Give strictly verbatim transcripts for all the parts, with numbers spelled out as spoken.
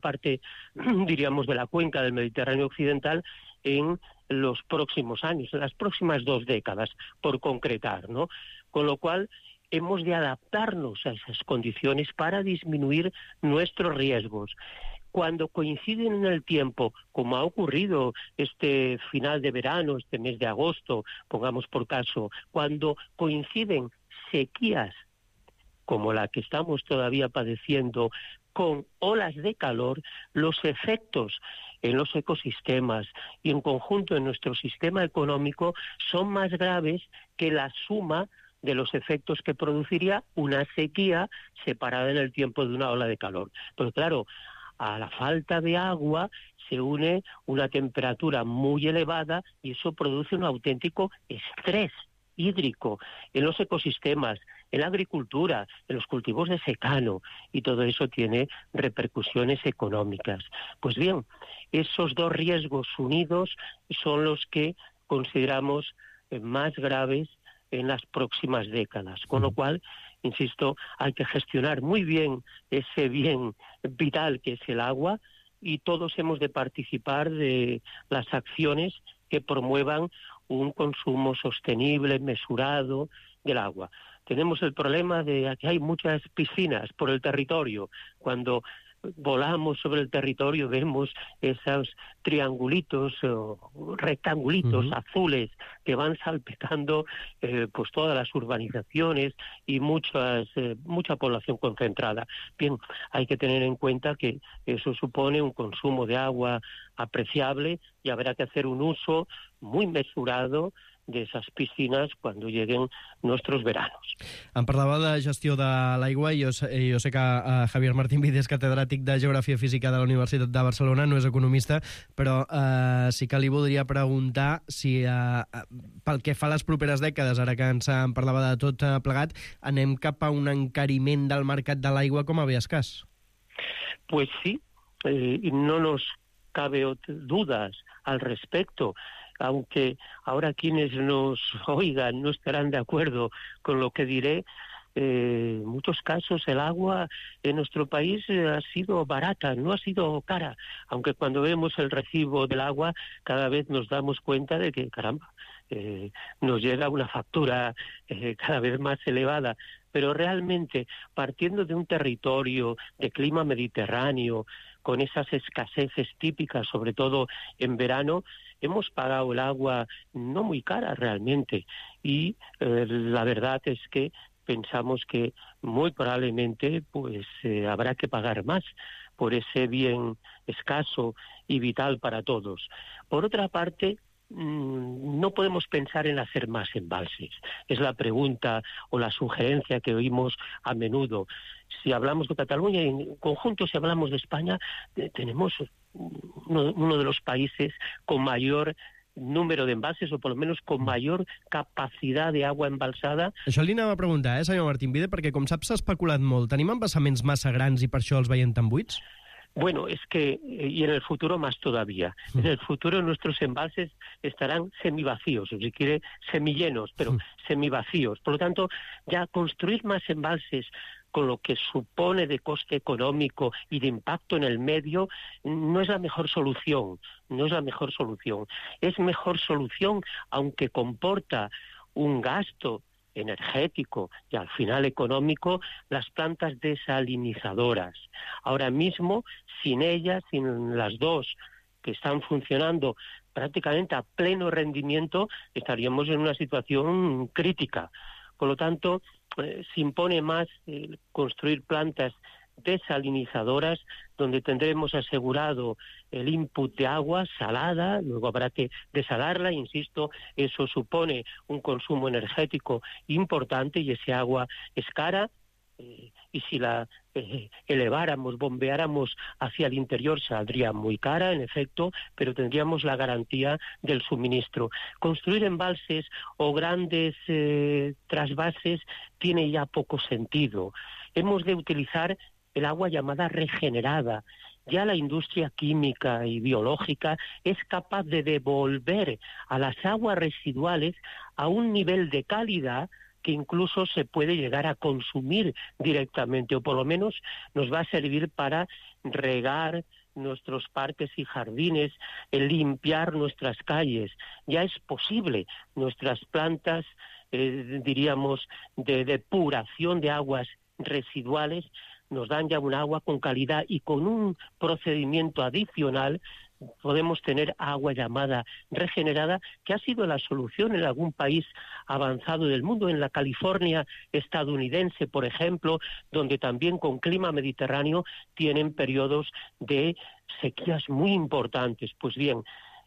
parte, diríamos, de la cuenca del Mediterráneo occidental en los próximos años, en las próximas dos décadas, por concretar, ¿no? Con lo cual, hemos de adaptarnos a esas condiciones para disminuir nuestros riesgos. Cuando coinciden en el tiempo, como ha ocurrido este final de verano, este mes de agosto, pongamos por caso, cuando coinciden sequías como la que estamos todavía padeciendo, con olas de calor, los efectos en los ecosistemas y en conjunto en nuestro sistema económico son más graves que la suma de los efectos que produciría una sequía separada en el tiempo de una ola de calor. Pero claro, a la falta de agua se une una temperatura muy elevada y eso produce un auténtico estrés hídrico en los ecosistemas, en la agricultura, en los cultivos de secano, y todo eso tiene repercusiones económicas. Pues bien, esos dos riesgos unidos son los que consideramos más graves en las próximas décadas, con lo cual, insisto, hay que gestionar muy bien ese bien vital que es el agua, y todos hemos de participar de las acciones que promuevan un consumo sostenible, mesurado del agua. Tenemos el problema de que hay muchas piscinas por el territorio. Cuando volamos sobre el territorio vemos esos triangulitos o rectangulitos uh-huh. azules que van salpicando eh, pues todas las urbanizaciones y muchas eh, mucha población concentrada. Bien, hay que tener en cuenta que eso supone un consumo de agua apreciable y habrá que hacer un uso muy mesurado de esas piscines quan lleguen nostres veranos. Em parlava de gestió de l'aigua i jo, jo sé que uh, Javier Martín Vides, catedràtic de Geografia Física de la Universitat de Barcelona, no és economista, però uh, sí que li voldria preguntar si uh, pel que fa a les properes dècades, ara que ens en parlava de tot uh, plegat, anem cap a un encariment del mercat de l'aigua com a bé escàs? Pues sí, eh, no nos cabe dudas al respecto, aunque ahora quienes nos oigan no estarán de acuerdo con lo que diré. Eh, en muchos casos el agua en nuestro país eh, ha sido barata, no ha sido cara, aunque cuando vemos el recibo del agua cada vez nos damos cuenta de que, caramba, eh, nos llega una factura eh, cada vez más elevada. Pero realmente, partiendo de un territorio de clima mediterráneo, con esas escaseces típicas, sobre todo en verano, hemos pagado el agua no muy cara realmente, y eh, la verdad es que pensamos que muy probablemente pues eh, habrá que pagar más por ese bien escaso y vital para todos. Por otra parte, no podemos pensar en hacer más embalses. Es la pregunta o la sugerencia que oímos a menudo. Si hablamos de Cataluña y en conjunto si hablamos de España, eh, tenemos uno, uno de los países con mayor número d'embalses, o per lo menos con mayor capacitat d'agua embalsada. Això li anava a preguntar, eh, senyor Martín Vide, perquè com saps s'ha especulat molt. Tenim embassaments massa grans i per això els veiem tan buits? Bueno, es que, y en el futuro más todavía, en el futuro nuestros embalses estarán semivacíos, o si quiere, semillenos, pero semivacíos. Por lo tanto, ya construir más embalses con lo que supone de coste económico y de impacto en el medio, no es la mejor solución, no es la mejor solución. Es mejor solución, aunque comporta un gasto energético y al final económico, las plantas desalinizadoras. Ahora mismo, sin ellas, sin las dos que están funcionando prácticamente a pleno rendimiento, estaríamos en una situación crítica. Por lo tanto, eh, se impone más eh, construir plantas desalinizadoras, donde tendremos asegurado el input de agua salada, luego habrá que desalarla, insisto, eso supone un consumo energético importante y ese agua es cara, eh, y si la eh, eleváramos, bombeáramos hacia el interior saldría muy cara, en efecto, pero tendríamos la garantía del suministro. Construir embalses o grandes eh, trasvases tiene ya poco sentido. Hemos de utilizar el agua llamada regenerada. Ya la industria química y biológica es capaz de devolver a las aguas residuales a un nivel de calidad que incluso se puede llegar a consumir directamente, o por lo menos nos va a servir para regar nuestros parques y jardines, limpiar nuestras calles. Ya es posible. Nuestras plantas, eh, diríamos, de depuración de aguas residuales nos dan ya un agua con calidad, y con un procedimiento adicional podemos tener agua llamada regenerada, que ha sido la solución en algún país avanzado del mundo, en la California estadounidense, por ejemplo, donde también con clima mediterráneo tienen periodos de sequías muy importantes. Pues bien,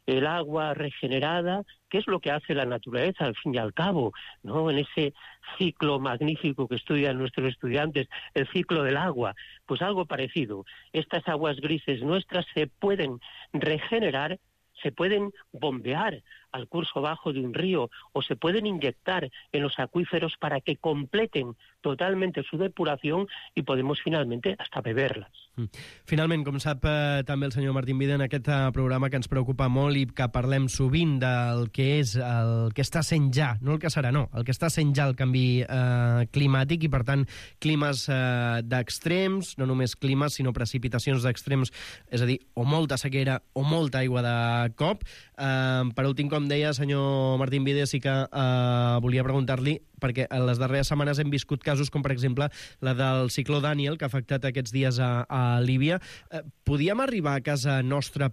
el agua regenerada, ¿qué es lo que hace la naturaleza al fin y al cabo, ¿no? En ese ciclo magnífico que estudian nuestros estudiantes, el ciclo del agua, pues algo parecido. Estas aguas grises nuestras se pueden regenerar, se pueden bombear al curso bajo de un río, o se pueden inyectar en los acuíferos para que completen totalmente su depuración, i podemos finalment hasta beberles. Finalment, com sap eh, també el senyor Martín Vide, en aquest eh, programa que ens preocupa molt i que parlem sovint del que és el que està sent ja, no el que serà, no, el que està sent ja el canvi eh, climàtic, i per tant climes eh, d'extrems, no només climes sinó precipitacions d'extrems, és a dir, o molta sequera o molta aigua de cop. Eh, per últim, com deia, senyor Martín Vide, sí que eh, volia preguntar-li, perquè en les darreres setmanes hem viscut casos com, per exemple, la del cicló Daniel, que ha afectat aquests dies a, a Líbia. Eh, podíem arribar a casa nostra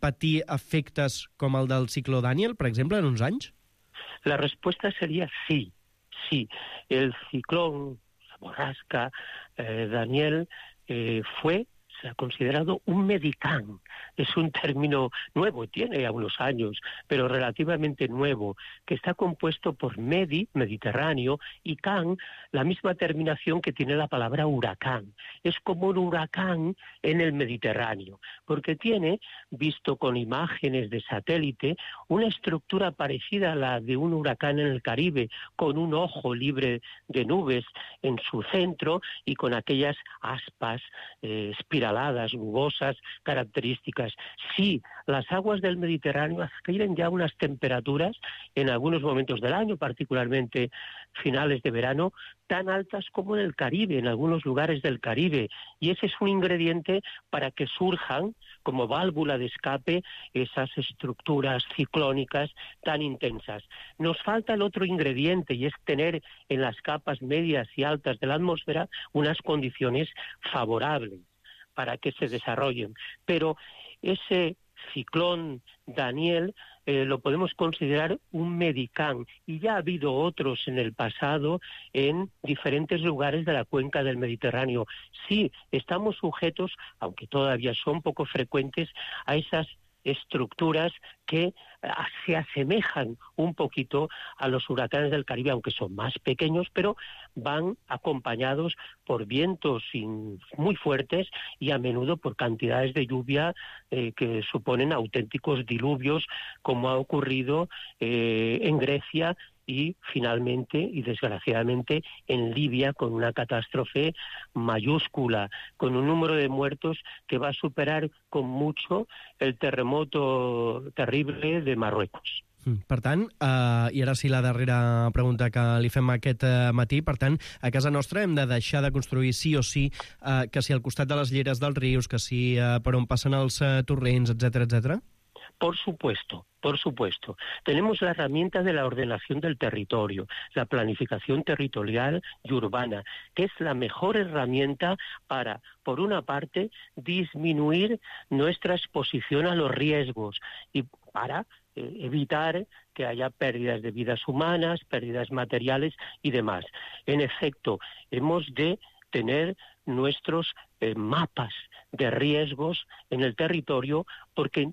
patir efectes com el del cicló Daniel, per exemple, en uns anys? La respuesta sería sí, sí. El ciclón, la borrasca, eh, Daniel, eh, fue... se ha considerado un medicán. Es un término nuevo, tiene ya unos años, pero relativamente nuevo, que está compuesto por medi, Mediterráneo, y can, la misma terminación que tiene la palabra huracán. Es como un huracán en el Mediterráneo, porque tiene, visto con imágenes de satélite, una estructura parecida a la de un huracán en el Caribe, con un ojo libre de nubes en su centro y con aquellas aspas eh, espiraladas, nubosas, características. Sí, las aguas del Mediterráneo adquieren ya unas temperaturas en algunos momentos del año, particularmente finales de verano, tan altas como en el Caribe, en algunos lugares del Caribe, y ese es un ingrediente para que surjan como válvula de escape esas estructuras ciclónicas tan intensas. Nos falta el otro ingrediente, y es tener en las capas medias y altas de la atmósfera unas condiciones favorables para que se desarrollen. Pero ese ciclón Daniel eh, lo podemos considerar un medicán, y ya ha habido otros en el pasado en diferentes lugares de la cuenca del Mediterráneo. Sí, estamos sujetos, aunque todavía son poco frecuentes, a esas estructuras que se asemejan un poquito a los huracanes del Caribe, aunque son más pequeños, pero van acompañados por vientos muy fuertes y a menudo por cantidades de lluvia eh, que suponen auténticos diluvios, como ha ocurrido eh, en Grecia y finalmente y desgraciadamente en Libia, con una catástrofe mayúscula, con un número de muertos que va a superar con mucho el terremoto terrible de Marruecos. Per tant, eh, i ara sí la darrera pregunta que li fem aquest eh, matí, per tant, a casa nostra hem de deixar de construir sí o sí, eh, que si al costat de les lleres dels rius, que si eh, per on passen els eh, torrents, etcètera, etcètera? Por supuesto, por supuesto. Tenemos la herramienta de la ordenación del territorio, la planificación territorial y urbana, que es la mejor herramienta para, por una parte, disminuir nuestra exposición a los riesgos y para eh, evitar que haya pérdidas de vidas humanas, pérdidas materiales y demás. En efecto, hemos de tener nuestros eh, mapas de riesgos en el territorio, porque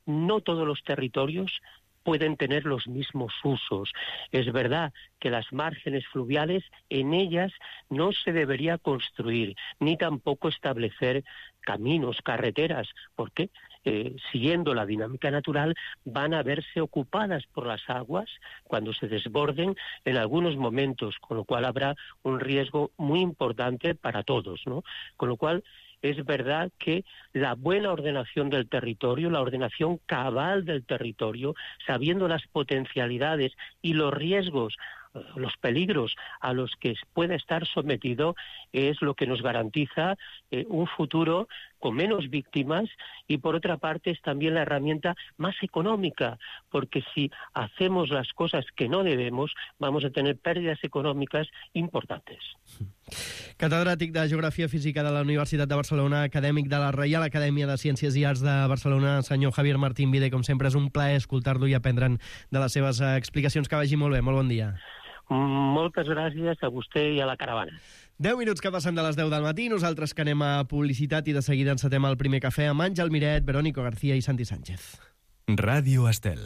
no todos los territorios pueden tener los mismos usos. Es verdad que las márgenes fluviales, en ellas no se debería construir, ni tampoco establecer caminos, carreteras, porque eh, siguiendo la dinámica natural van a verse ocupadas por las aguas cuando se desborden en algunos momentos, con lo cual habrá un riesgo muy importante para todos, ¿no? Con lo cual es verdad que la buena ordenación del territorio, la ordenación cabal del territorio, sabiendo las potencialidades y los riesgos los peligros a los que pueda estar sometido es lo que nos garantiza eh, un futuro con menos víctimas y, por otra parte, es también la herramienta más económica, porque si hacemos las cosas que no debemos, vamos a tener pérdidas econòmiques importantes. Catedràtic de Geografia Física de la Universitat de Barcelona, acadèmic de la Reial Acadèmia de Ciències i Arts de Barcelona, senyor Javier Martín Vide, com sempre és un plaer escoltar-lo i aprendre'n de les seves explicacions. Que vagi molt bé, molt bon dia. Moltes gràcies a vostè i a la caravana. deu minuts que passen de les deu del matí, nosaltres que anem a publicitat i de seguida encetem el primer cafè amb Àngel Miret, Verónico García i Santi Sánchez. Ràdio Estel.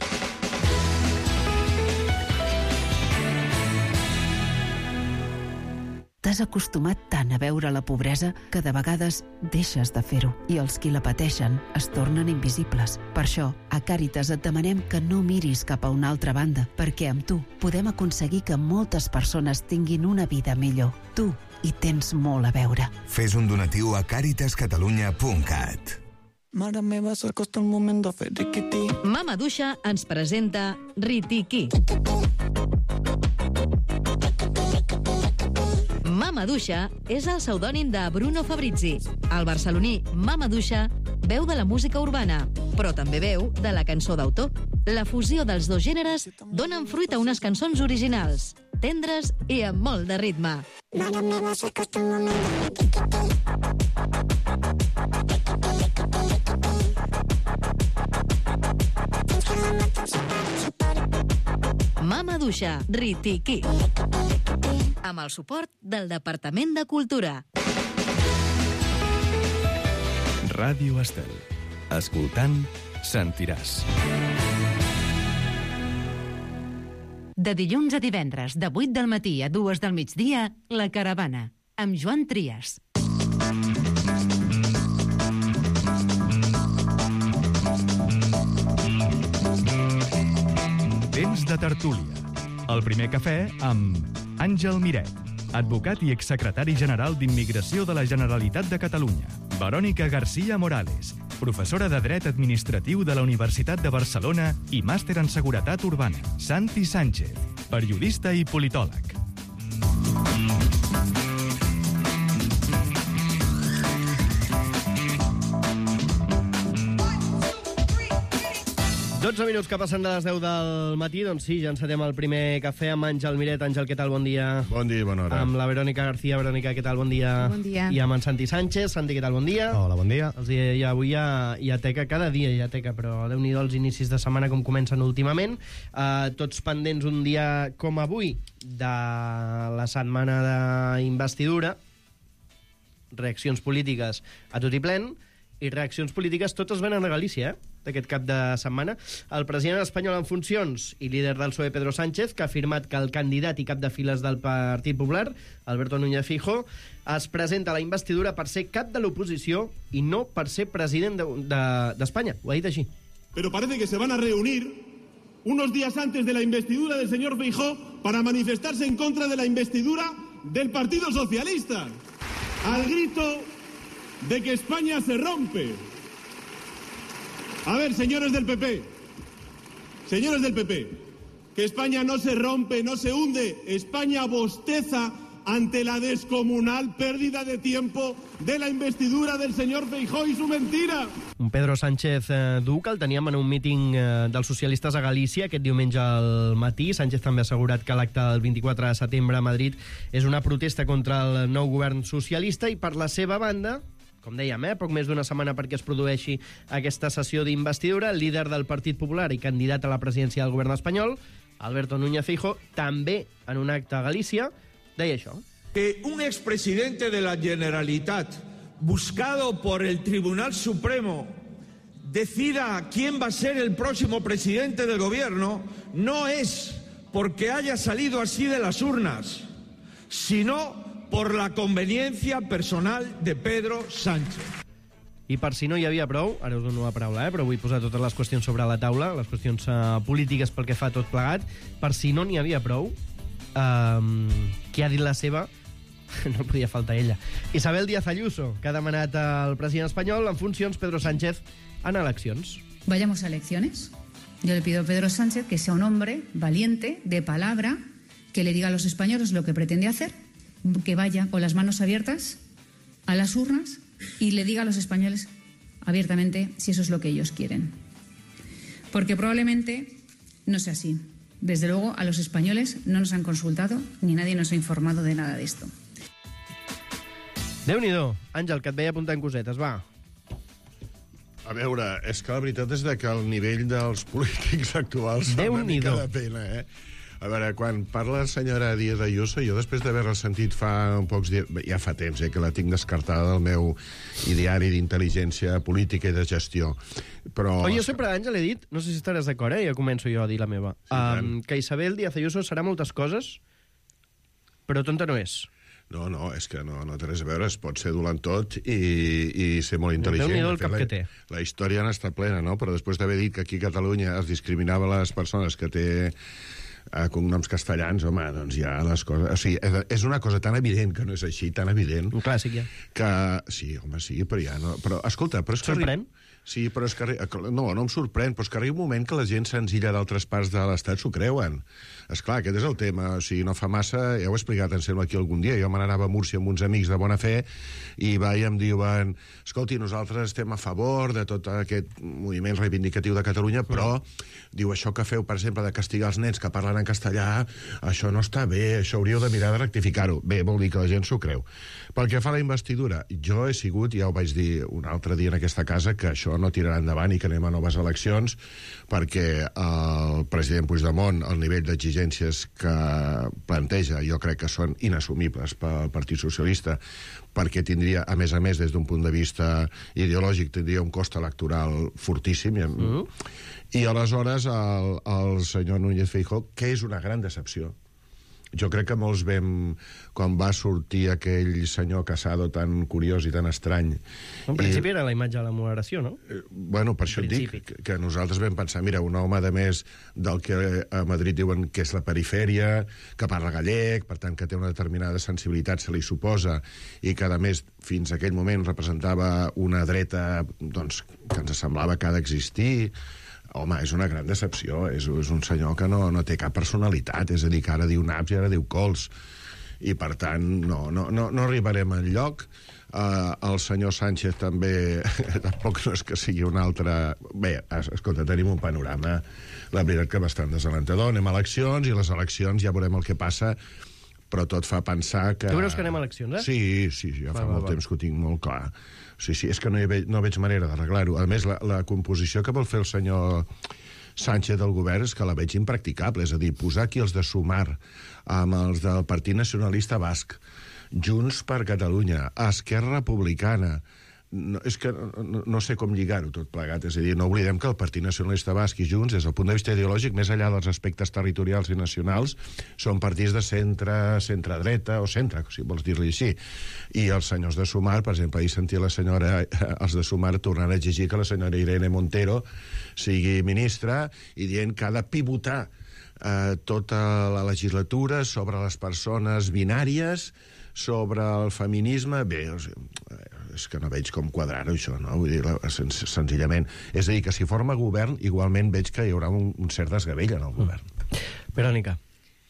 T'has acostumat tant a veure la pobresa que de vegades deixes de fer-ho i els qui la pateixen es tornen invisibles. Per això, a Càritas et demanem que no miris cap a una altra banda, perquè amb tu podem aconseguir que moltes persones tinguin una vida millor. Tu hi tens molt a veure. Fes un donatiu a càritas catalunya punt cat. Mare meva, s'acosta un moment de fer riquití. Mama Duixa ens presenta Ritiqui. Mama Duixa és el pseudònim de Bruno Fabrizi. El barceloní Mama Duixa veu de la música urbana, però també veu de la cançó d'autor. La fusió dels dos gèneres donen fruit a unes cançons originals, tendres i amb molt de ritme. Mare meva, s'acosta un moment de fer riquití. Mama Duixa, Ritiqui. Amb el suport del Departament de Cultura. Ràdio Estel. Escoltant, sentiràs. De dilluns a divendres, de vuit del matí a dues del migdia, La Caravana, amb Joan Trias. Temps de tertúlia. El primer cafè amb Àngel Miret, advocat i exsecretari general d'Immigració de la Generalitat de Catalunya. Verónica García Morales, professora de Dret Administratiu de la Universitat de Barcelona i màster en Seguretat Urbana. Santi Sánchez, periodista i politòleg. dotze minuts que passen de les deu del matí, doncs sí, ja encetem el primer cafè amb Àngel Miret. Àngel, què tal? Bon dia. Bon dia i bona hora. Amb la Verónica García. Verónica, què tal? Bon dia. Bon dia. I amb en Santi Sánchez. Santi, què tal? Bon dia. Hola, bon dia. Els hi, ja, avui hi ha, hi ha teca, cada dia hi ha teca, però Déu-n'hi-do els inicis de setmana com comencen últimament. Uh, tots pendents un dia com avui de la setmana d'investidura, reaccions polítiques a tot i plen, i reaccions polítiques totes venen a Galícia, eh? D'aquest cap de setmana. El president espanyol en funcions i líder del P S O E, Pedro Sánchez, que ha afirmat que el candidat i cap de files del Partit Popular, Alberto Núñez Feijóo, es presenta a la investidura per ser cap de l'oposició i no per ser president d'Espanya. De, de, Ho ha dit així. Pero parece que se van a reunir unos días antes de la investidura del señor Feijóo para manifestarse en contra de la investidura del Partido Socialista, al grito de que España se rompe. A ver, señores del P P, señores del P P, que España no se rompe, no se hunde, España bosteza ante la descomunal pérdida de tiempo de la investidura del señor Feijóo y su mentira. Un Pedro Sánchez eh, dur que el teníem en un míting eh, dels socialistes a Galícia aquest diumenge al matí. Sánchez també ha assegurat que l'acte del vint-i-quatre de setembre a Madrid és una protesta contra el nou govern socialista i, per la seva banda, com dèiem, eh, poc més d'una setmana perquè es produeixi aquesta sessió d'investidura, el líder del Partit Popular i candidat a la presidència del govern espanyol, Alberto Núñez Feijóo, també en un acte a Galícia, deia això. Que un expresidente de la Generalitat, buscado por el Tribunal Supremo, decida quién va a ser el próximo presidente del gobierno, no es porque haya salido así de las urnas, sino por la conveniencia personal de Pedro Sánchez. I per si no hi havia prou, ara us dono la paraula, eh, però vull posar totes les qüestions sobre la taula, les qüestions uh, polítiques pel que fa tot plegat, per si no n'hi havia prou, um, qui ha dit la seva, no podia faltar ella. Isabel Díaz Ayuso, que ha demanat al president espanyol en funcions Pedro Sánchez en eleccions. Vayamos a elecciones. Yo le pido a Pedro Sánchez que sea un hombre valiente, de palabra, que le diga a los españoles lo que pretende hacer, que vaya con las manos abiertas a las urnas y le diga a los españoles abiertamente si eso es lo que ellos quieren. Porque probablemente no sea así. Desde luego, a los españoles no nos han consultado ni nadie nos ha informado de nada de esto. Déu-n'hi-do. Àngel, que et veia apuntant cosetes, va. A veure, és que la veritat és que el nivell dels polítics actuals fa una mica de pena, eh? A veure, quan parla la senyora Díaz Ayuso, jo després d'haver-la sentit fa un pocs dies, ja fa temps, eh, que la tinc descartada del meu ideari d'intel·ligència política i de gestió. Però... Oh, jo sempre, Àngel, he dit, no sé si estaràs d'acord, eh? Ja començo jo a dir la meva, sí, um, que Isabel Díaz Ayuso serà moltes coses, però tonta no és. No, no, és que no, no té res a veure, es pot ser dolent tot i, i ser molt intel·ligent. Déu-n'hi-do el cap la, que té. La història n'ha estat plena, no? Però després d'haver dit que aquí a Catalunya es discriminava les persones que té eh, cognoms castellans, home, doncs ja les coses... O sigui, és una cosa tan evident que no és així, tan evident... Un clàssic, ja. Que... Sí, home, sí, però ja no... Però, escolta, però és que... Sorprèn? Sí, però és que... No, no em sorprèn, però és que arriba un moment que la gent senzilla d'altres parts de l'Estat s'ho creuen. Esclar, aquest és el tema. O sigui, no fa massa... Ja ho he explicat, em sembla, aquí algun dia. Jo me n'anava a Múrcia amb uns amics de bona fe i va i em diuen escolti, nosaltres estem a favor de tot aquest moviment reivindicatiu de Catalunya, però diu, això que feu, per exemple, de castigar els nens que parlen en castellà, això no està bé, això hauríeu de mirar de rectificar-ho. Bé, vol dir que la gent s'ho creu. Pel que fa a la investidura, jo he sigut, ja ho vaig dir un altre dia en aquesta casa, que això no tirarà endavant i que anem a noves eleccions, perquè el president Puigdemont, el nivell d'exigències que planteja, jo crec que són inassumibles pel Partit Socialista, perquè tindria, a més a més, des d'un punt de vista ideològic, tindria un cost electoral fortíssim. I, mm. i aleshores el, el senyor Núñez Feijóo, que és una gran decepció. Jo crec que molts vam... Quan va sortir aquell senyor Casado tan curiós i tan estrany... En principi i, era la imatge de la moderació, no? Eh, bueno, per això et dic que, que nosaltres vam pensar, mira, un home de més del que a Madrid diuen que és la perifèria, que parla gallec, per tant que té una determinada sensibilitat, se li suposa, i que a més fins a aquell moment representava una dreta doncs, que ens semblava que ha d'existir... Home, és una gran decepció. És, és un senyor que no, no té cap personalitat. És a dir, que ara diu naps i ara diu cols. I, per tant, no, no, no, no arribarem enlloc. Uh, el senyor Sánchez també... tampoc no és que sigui un altre... Bé, escolta, tenim un panorama, la veritat, que bastant desalentador. Anem a eleccions, i les eleccions ja veurem el que passa, però tot fa pensar que... Tu creus que anem a eleccions, eh? Sí, sí, ja fa va, molt va, temps que ho tinc molt clar. Sí, sí, és que no, hi ve, no veig manera d'arreglar-ho. A més, la, la composició que vol fer el senyor Sánchez del govern és que la veig impracticable. És a dir, posar aquí els de Sumar amb els del Partit Nacionalista Basc, Junts per Catalunya, Esquerra Republicana... No, és que no, no sé com lligar-ho tot plegat. És a dir, no oblidem que el Partit Nacionalista Basc i Junts, des del punt de vista ideològic, més enllà dels aspectes territorials i nacionals, són partits de centre, centre-dreta o centre, si vols dir-li així. I els senyors de Sumar, per exemple, ahir sentia la senyora, els de Sumar tornant a exigir que la senyora Irene Montero sigui ministra i dient que ha de pivotar eh, tota la legislatura sobre les persones binàries, sobre el feminisme. Bé, o sigui, és que no veig com quadrar-ho, això, no? Vull dir, sen senzillament. És a dir, que si forma govern, igualment veig que hi haurà un, un cert desgavell en el govern. Mm. Verònica.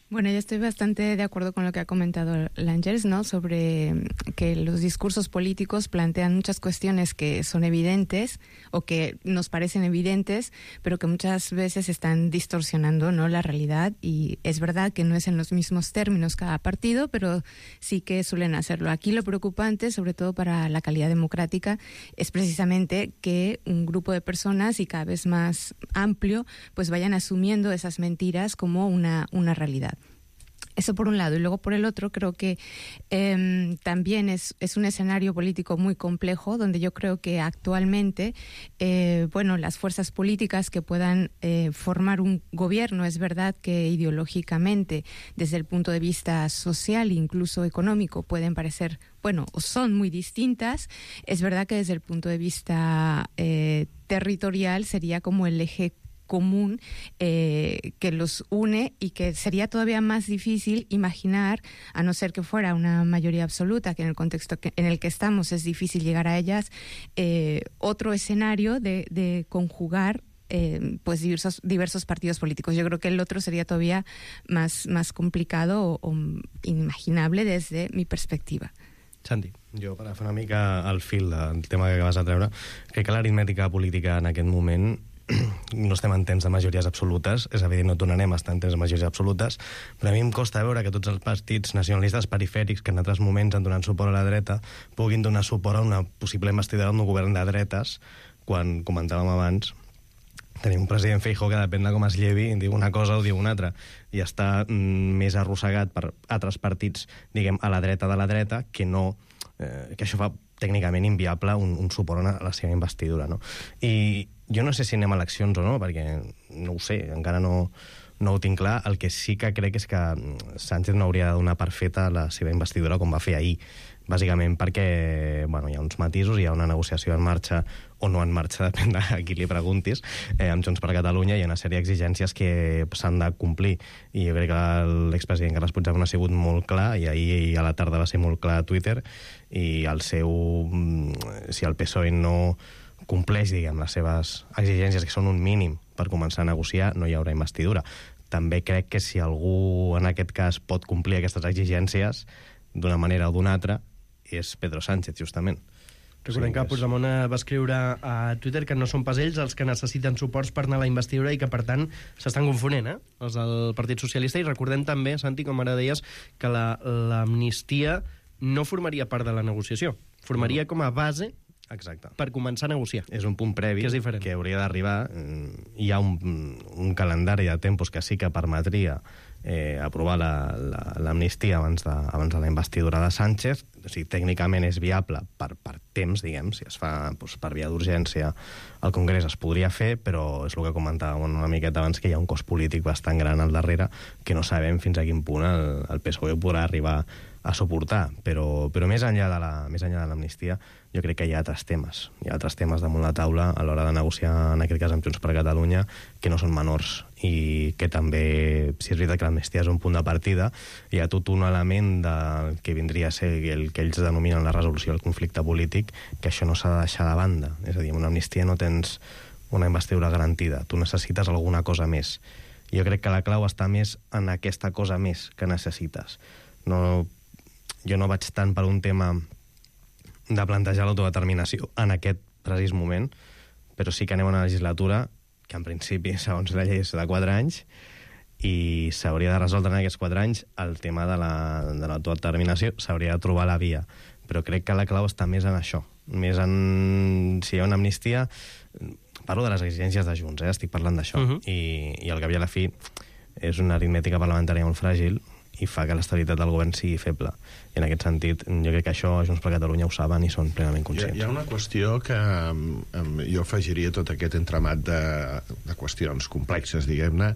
Bueno, yo estoy bastante de acuerdo con lo que ha comentado L'Àngels, ¿no? Sobre que los discursos políticos plantean muchas cuestiones que son evidentes o que nos parecen evidentes, pero que muchas veces están distorsionando, ¿no?, la realidad. Y es verdad que no es en los mismos términos cada partido, pero sí que suelen hacerlo. Aquí lo preocupante, sobre todo para la calidad democrática, es precisamente que un grupo de personas, y cada vez más amplio, pues vayan asumiendo esas mentiras como una, una realidad. Eso por un lado. Y luego por el otro creo que eh, también es, es un escenario político muy complejo, donde yo creo que actualmente eh, bueno, las fuerzas políticas que puedan eh, formar un gobierno, es verdad que ideológicamente, desde el punto de vista social e incluso económico, pueden parecer, bueno, o son muy distintas. Es verdad que desde el punto de vista eh, territorial sería como el eje común eh, que los une, y que sería todavía más difícil imaginar, a no ser que fuera una mayoría absoluta, que en el contexto que, en el que estamos es difícil llegar a ellas, eh, otro escenario de, de conjugar eh, pues diversos, diversos partidos políticos. Yo creo que el otro sería todavía más, más complicado o, o inimaginable desde mi perspectiva. Santi. Jo, per fer una mica el fil del tema que acabes de treure, crec que l'aritmètica política en aquest moment no estem en temps de majories absolutes, és evident, no tornarem a estar en temps de majories absolutes, però a mi em costa veure que tots els partits nacionalistes perifèrics que en altres moments han donat suport a la dreta puguin donar suport a una possible investidura d'un govern de dretes, quan comentàvem abans tenim un president Feijóo que depèn de com es llevi, diu una cosa o diu una altra, i està mm, més arrossegat per altres partits, diguem, a la dreta de la dreta, que no, eh, que això fa tècnicament inviable un, un suport a la seva investidura, no? I jo no sé si anem a eleccions o no, perquè no ho sé, encara no, no ho tinc clar. El que sí que crec és que Sánchez no hauria de donar per feta la seva investidura com va fer ahir, bàsicament perquè bueno, hi ha uns matisos, hi ha una negociació en marxa o no en marxa, depèn de a qui li preguntis, eh, amb Junts per Catalunya hi ha una sèrie d'exigències que s'han de complir, i jo crec que l'expresident Carles Puigdemont ha sigut molt clar, i ahir a la tarda va ser molt clar a Twitter, i el seu, si el P S O E no compleix, diguem, les seves exigències, que són un mínim per començar a negociar, no hi haurà investidura. També crec que si algú en aquest cas pot complir aquestes exigències d'una manera o d'una altra, és Pedro Sánchez, justament. Recordem que Puigdemont va escriure a Twitter que no són pas ells els que necessiten suports per anar a la investidura i que, per tant, s'estan confonent, eh? Els del Partit Socialista. I recordem també, Santi, com ara deies, que l'amnistia no formaria part de la negociació. Formaria com a base Exacte. Per començar a negociar. És un punt previ que, és que hauria d'arribar. Hi ha un, un calendari de tempos que sí que permetria eh, aprovar l'amnistia la, la, abans, de, abans de la investidura de Sánchez. O sigui, tècnicament és viable per, per temps, diguem, si es fa doncs, per via d'urgència al Congrés es podria fer, però és el que comentàvem una miqueta abans, que hi ha un cost polític bastant gran al darrere que no sabem fins a quin punt el, el P S O E podrà arribar a suportar, però, però més enllà de la, més enllà de l'amnistia jo crec que hi ha altres temes, hi ha altres temes damunt la taula a l'hora de negociar, en aquest cas amb Junts per Catalunya, que no són menors i que també, si és veritat que l'amnistia és un punt de partida, hi ha tot un element del que vindria a ser el que ells denominen la resolució del conflicte polític, que això no s'ha de deixar de banda. És a dir, amb una amnistia no tens una investidura garantida, tu necessites alguna cosa més. Jo crec que la clau està més en aquesta cosa més que necessites. No, jo no vaig tant per un tema de plantejar l'autodeterminació en aquest precís moment, però sí que anem a una legislatura que en principi, segons la llei, és de quatre anys i s'hauria de resoldre en aquests quatre anys el tema de l'autodeterminació, la, s'hauria de trobar la via. Però crec que la clau està més en això, més en si hi ha una amnistia. Parlo de les exigències de Junts, eh? Estic parlant d'això, uh-huh. I, i al cap i a la fi és una aritmètica parlamentària molt fràgil i fa que l'estabilitat del govern sigui feble. I en aquest sentit, jo crec que això Junts per Catalunya ho saben i són plenament conscients. Hi ha, hi ha una qüestió que um, jo afegiria tot aquest entramat de, de qüestions complexes, diguem-ne,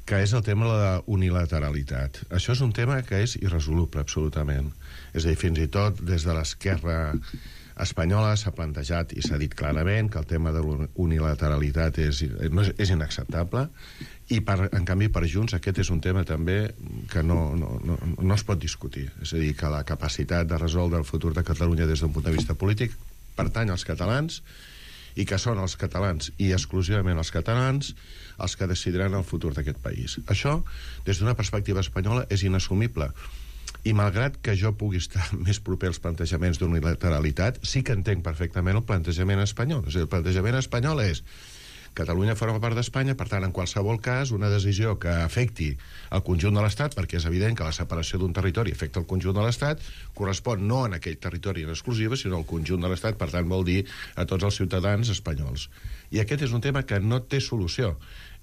que és el tema de la unilateralitat. Això és un tema que és irresoluble, absolutament. És a dir, fins i tot des de l'esquerra espanyola s'ha plantejat i s'ha dit clarament que el tema de la unilateralitat és, no és, és inacceptable, i per, en canvi per Junts aquest és un tema també que no, no, no, no es pot discutir. És a dir, que la capacitat de resoldre el futur de Catalunya des d'un punt de vista polític pertany als catalans i que són els catalans i exclusivament els catalans els que decidiran el futur d'aquest país. Això, des d'una perspectiva espanyola, és inassumible. I malgrat que jo pugui estar més proper als plantejaments d'unilateralitat, sí que entenc perfectament el plantejament espanyol. És a dir, el plantejament espanyol és Catalunya forma part d'Espanya, per tant, en qualsevol cas, una decisió que afecti el conjunt de l'Estat, perquè és evident que la separació d'un territori afecta el conjunt de l'Estat, correspon no en aquell territori en exclusiva, sinó al conjunt de l'Estat, per tant, vol dir a tots els ciutadans espanyols. I aquest és un tema que no té solució.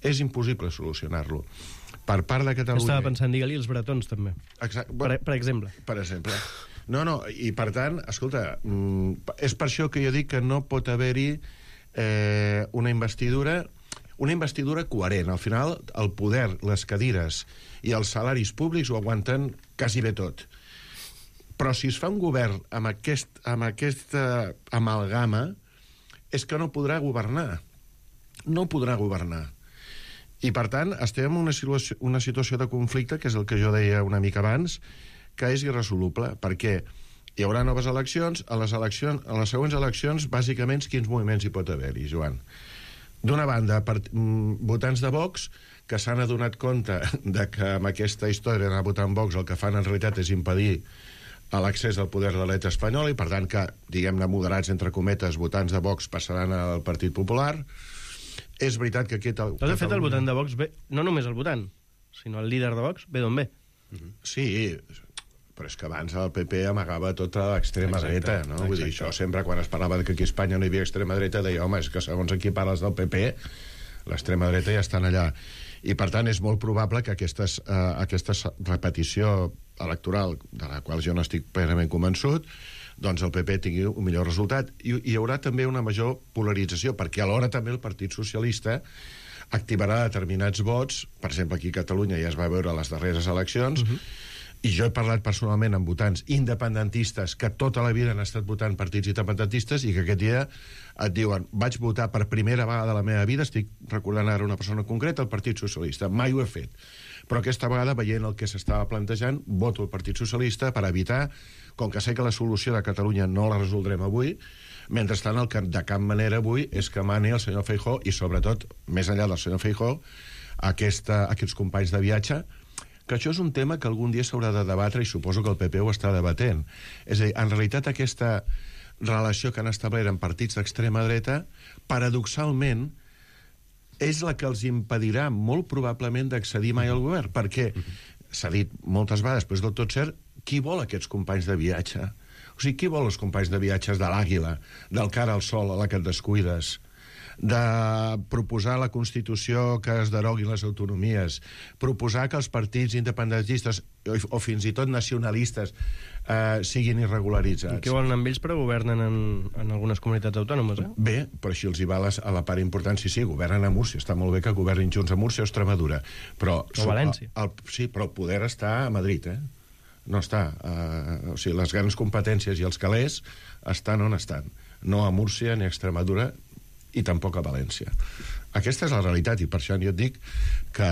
És impossible solucionar-lo. Per part de Catalunya... Estava pensant, digue-li els bretons, també. Exacte. Per, per exemple. Per exemple. No, no, i per tant, escolta, és per això que jo dic que no pot haver-hi Eh, una investidura una investidura coherent. Al final, el poder, les cadires i els salaris públics ho aguanten quasi bé tot. Però si es fa un govern amb, aquest, amb aquesta amalgama, és que no podrà governar. No podrà governar. I, per tant, estem en una situació, una situació de conflicte, que és el que jo deia una mica abans, que és irresoluble, perquè hi haurà noves eleccions. A les, eleccions, a les següents eleccions, bàsicament, quins moviments hi pot haver-hi, Joan? d'una banda, per, mm, votants de Vox que s'han adonat compte de que amb aquesta història d'anar a votar en Vox el que fan en realitat és impedir l'accés al poder de l'Estat espanyol i, per tant, que, diguem-ne, moderats, entre cometes, votants de Vox passaran al Partit Popular. És veritat que aquest... Tot de fet, el votant de Vox ve... No només el votant, sinó el líder de Vox ve d'on ve. Sí, però és que abans el P P amagava tota l'extrema dreta, no? Exacte. Vull dir, això sempre, quan es parlava que aquí a Espanya no hi havia extrema dreta, deia, home, és que segons aquí parles del P P, l'extrema dreta ja estan allà. I, per tant, és molt probable que aquestes, eh, aquesta repetició electoral, de la qual jo no estic plenament convençut, doncs el P P tingui un millor resultat. I hi haurà també una major polarització, perquè alhora també el Partit Socialista activarà determinats vots, per exemple, aquí a Catalunya ja es va veure a les darreres eleccions, uh-huh. i jo he parlat personalment amb votants independentistes que tota la vida han estat votant partits independentistes i que aquest dia et diuen, vaig votar per primera vegada de la meva vida, estic recordant ara una persona concreta, el Partit Socialista, mai ho he fet, però aquesta vegada, veient el que s'estava plantejant, voto el Partit Socialista per evitar, com que sé que la solució de Catalunya no la resoldrem avui, mentrestant el que de cap manera avui és que mani el senyor Feijóo i, sobretot, més enllà del senyor Feijóo, aquesta, aquests companys de viatge, que això és un tema que algun dia s'haurà de debatre i suposo que el P P ho està debatent. És a dir, en realitat aquesta relació que han establert amb partits d'extrema dreta, paradoxalment, és la que els impedirà molt probablement d'accedir mai al govern, perquè s'ha dit moltes vegades, però és del tot cert, qui vol aquests companys de viatge? O sigui, qui vol els companys de viatges de l'Àguila, del Cara al Sol a la que et descuides, de proposar la Constitució que es deroguin les autonomies, proposar que els partits independentistes o, o fins i tot nacionalistes eh, siguin irregularitzats. I què volen amb ells, però governen en, en algunes comunitats autònomes, eh? Bé, però així els hi va les, a la part important, sí, sí, governen a Múrcia, està molt bé que governin junts a Múrcia o Extremadura, però... O València. El, el, sí, però el poder està a Madrid, eh? No està. Uh, o sigui, les grans competències i els calés estan on estan. No a Múrcia ni a Extremadura i tampoc a València. Aquesta és la realitat, i per això jo et dic que,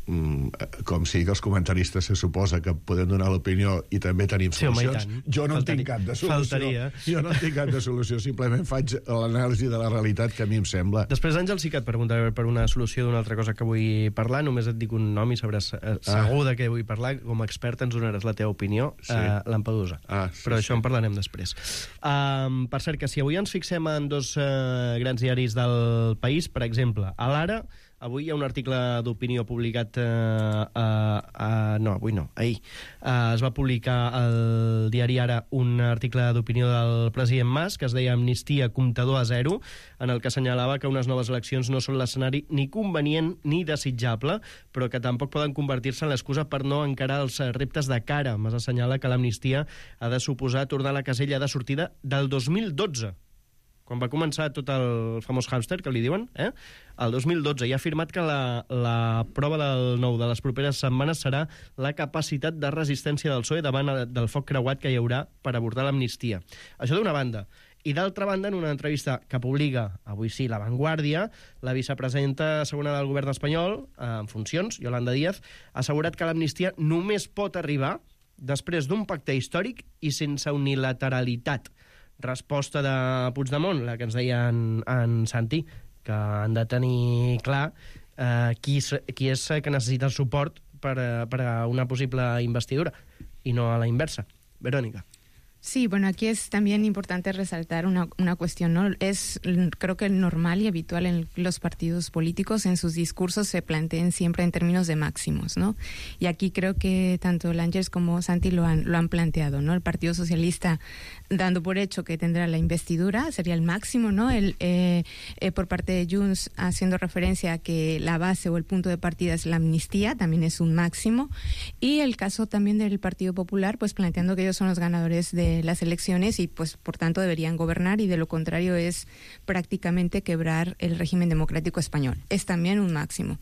mm, com si els comentaristes se suposa que podem donar l'opinió i també tenim sí, solucions, home, jo no Faltari... en tinc cap de solució. Faltaria. Jo no en tinc cap de solució, simplement faig l'anàlisi de la realitat que a mi em sembla. Després, Àngel, sí que et preguntaré per una solució d'una altra cosa que vull parlar, només et dic un nom i sabràs eh, segur de què vull parlar, com a expert ens donaràs la teva opinió, sí. eh, Lampedusa. Ah, sí, però això sí. En parlarem després. Um, per cert, que si avui ens fixem en dos eh, grans diaris del país, per exemple, a l'Ara, avui hi ha un article d'opinió publicat... Eh, eh, eh, no, avui no, ahir. Eh, es va publicar al diari Ara un article d'opinió del president Mas que es deia Amnistia comptador a zero, en el que assenyalava que unes noves eleccions no són l'escenari ni convenient ni desitjable, però que tampoc poden convertir-se en l'excusa per no encarar els reptes de cara. Mas assenyala que l'amnistia ha de suposar tornar a la casella de sortida del dos mil dotze, quan va començar tot el famós hàmster, que li diuen, eh? el dos mil dotze, i ha afirmat que la, la prova del nou de les properes setmanes serà la capacitat de resistència del P S O E davant del foc creuat que hi haurà per abordar l'amnistia. Això d'una banda. I d'altra banda, en una entrevista que publica, avui sí, La Vanguardia, la vicepresidenta segona del govern espanyol, en funcions, Yolanda Díaz, ha assegurat que l'amnistia només pot arribar després d'un pacte històric i sense unilateralitat. Resposta de Puigdemont, la que ens deia en, en Santi, que han de tenir clar eh, qui, qui és que necessita el suport per, per a una possible investidura, i no a la inversa. Verónica. Sí, bueno, aquí es también importante resaltar una, una cuestión, ¿no? Es, creo que normal y habitual en los partidos políticos, en sus discursos se planteen siempre en términos de máximos, ¿no? Y aquí creo que tanto Langers como Santi lo han, lo han planteado, ¿no? El Partido Socialista dando por hecho que tendrá la investidura, sería el máximo, ¿no? El, eh, eh, por parte de Junts haciendo referencia a que la base o el punto de partida es la amnistía, también es un máximo. Y el caso también del Partido Popular, pues planteando que ellos son los ganadores de las elecciones y pues por tanto deberían gobernar, y de lo contrario es prácticamente quebrar el régimen democrático español. Es también un máximo.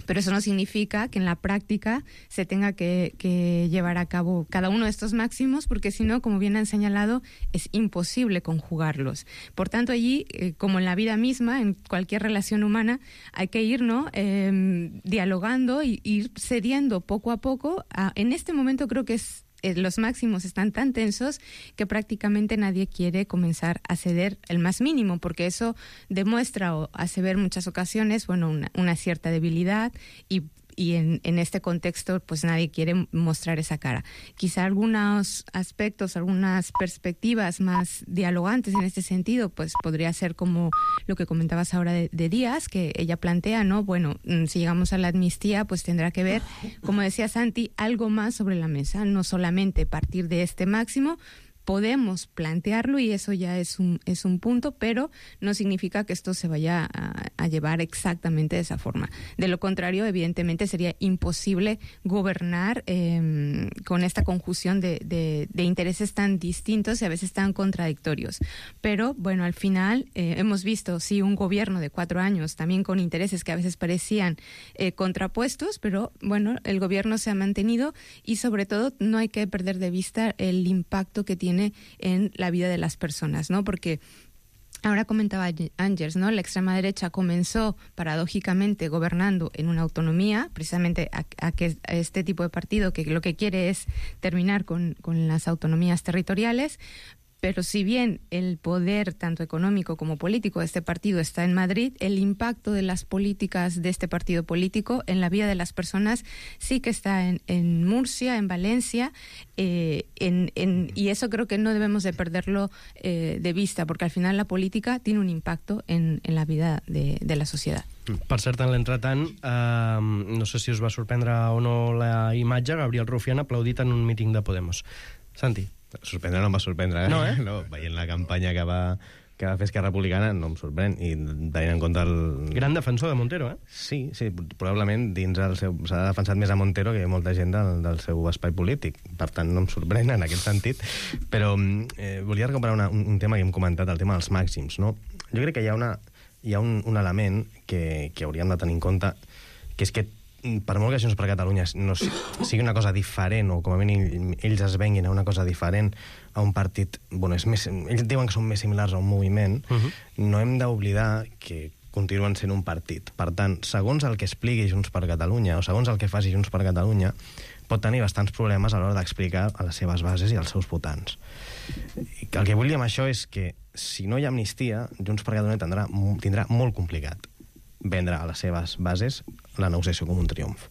Pero eso no significa que en la práctica se tenga que, que llevar a cabo cada uno de estos máximos, porque si no, como bien han señalado, es imposible conjugarlos. Por tanto, allí, eh, como en la vida misma, en cualquier relación humana, hay que ir, ¿no? eh, dialogando y ir cediendo poco a poco. A, en este momento creo que es eh, los máximos están tan tensos que prácticamente nadie quiere comenzar a ceder el más mínimo, porque eso demuestra o hace ver muchas ocasiones, bueno, una, una cierta debilidad y y en, en este contexto pues nadie quiere mostrar esa cara. Quizá algunos aspectos, algunas perspectivas más dialogantes en este sentido, pues podría ser como lo que comentabas ahora de, de Díaz, que ella plantea, ¿no? Bueno, si llegamos a la amnistía, pues tendrá que ver, como decía Santi, algo más sobre la mesa, no solamente partir de este máximo. Podemos plantearlo y eso ya es un, es un punto, pero no significa que esto se vaya a, a llevar exactamente de esa forma. De lo contrario, evidentemente sería imposible gobernar eh, con esta conjunción de, de, de intereses tan distintos y a veces tan contradictorios. Pero bueno, al final eh, hemos visto, sí, un gobierno de cuatro años también con intereses que a veces parecían eh, contrapuestos, pero bueno, el gobierno se ha mantenido y sobre todo no hay que perder de vista el impacto que tiene en la vida de las personas, ¿no? Porque ahora comentaba Ángels, ¿no? La extrema derecha comenzó paradójicamente gobernando en una autonomía, precisamente a, a que a este tipo de partido que lo que quiere es terminar con, con las autonomías territoriales. Pero si bien el poder, tanto económico como político, de este partido está en Madrid, el impacto de las políticas de este partido político en la vida de las personas sí que está en, en Murcia, en Valencia, eh, en, en, y eso creo que no debemos de perderlo eh, de vista, porque al final la política tiene un impacto en, en la vida de, de la sociedad. Per cert, en l'entretant, eh, no sé si us va sorprendre o no la imatge, Gabriel Rufián aplaudit en un míting de Podemos. Santi. Sorprendre no em va sorprendre, eh? No, eh? No, veient la campanya que va, que va fer Esquerra Republicana no em sorprèn, i tenint en compte el... Gran defensor de Montero, eh? Sí, sí, probablement dins el seu... s'ha defensat més a Montero que molta gent del, del seu espai polític, per tant no em sorprèn en aquest sentit, però eh, volia recuperar una, un, un tema que hem comentat, el tema dels màxims, no? Jo crec que hi ha, una, hi ha un, un element que, que hauríem de tenir en compte, que és que per molt que Junts per Catalunya no sigui una cosa diferent, o com a mínim ells es venguin a una cosa diferent a un partit, bueno, és més, ells diuen que són més similars a un moviment, uh-huh. No hem d'oblidar que continuen sent un partit. Per tant, segons el que expliqui Junts per Catalunya, o segons el que faci Junts per Catalunya, pot tenir bastants problemes a l'hora d'explicar a les seves bases i als seus votants. El que vull dir amb això és que si no hi ha amnistia, Junts per Catalunya tindrà, tindrà molt complicat vendre a les seves bases la negociació com un triomf.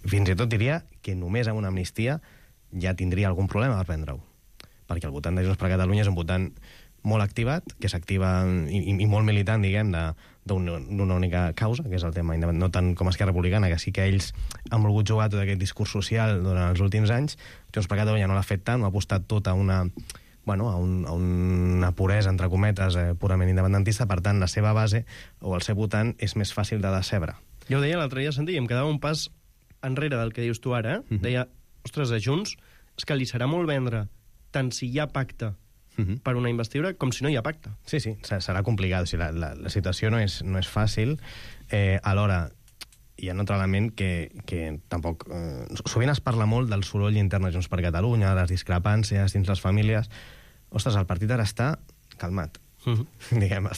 Fins i tot diria que només amb una amnistia ja tindria algun problema per vendre-ho. Perquè el votant de Junts per Catalunya és un votant molt activat, que s'activa i, i molt militant, diguem, d'una única causa, que és el tema independent, no tant com Esquerra Republicana, que sí que ells han volgut jugar tot aquest discurs social durant els últims anys. Junts per Catalunya no l'ha fet tant, ha apostat tot a una... bueno, a, un, a una puresa, entre cometes, eh, purament independentista, per tant, la seva base o el seu votant és més fàcil de decebre. Jo ho deia l'altre dia, Santi, i em quedava un pas enrere del que dius tu ara, eh? Uh-huh. Deia, ostres, a Junts és que li serà molt vendre tant si hi ha pacte uh-huh. per una investidura com si no hi ha pacte. Sí, sí, serà complicat. O sigui, la, la, la situació no és, no és fàcil. Eh, alhora, hi ha un altre element que, que tampoc... Eh, sovint es parla molt del soroll intern de Junts per Catalunya, les discrepàncies dins les famílies. Ostres, el partit ara està calmat. Uh-huh. Diguem,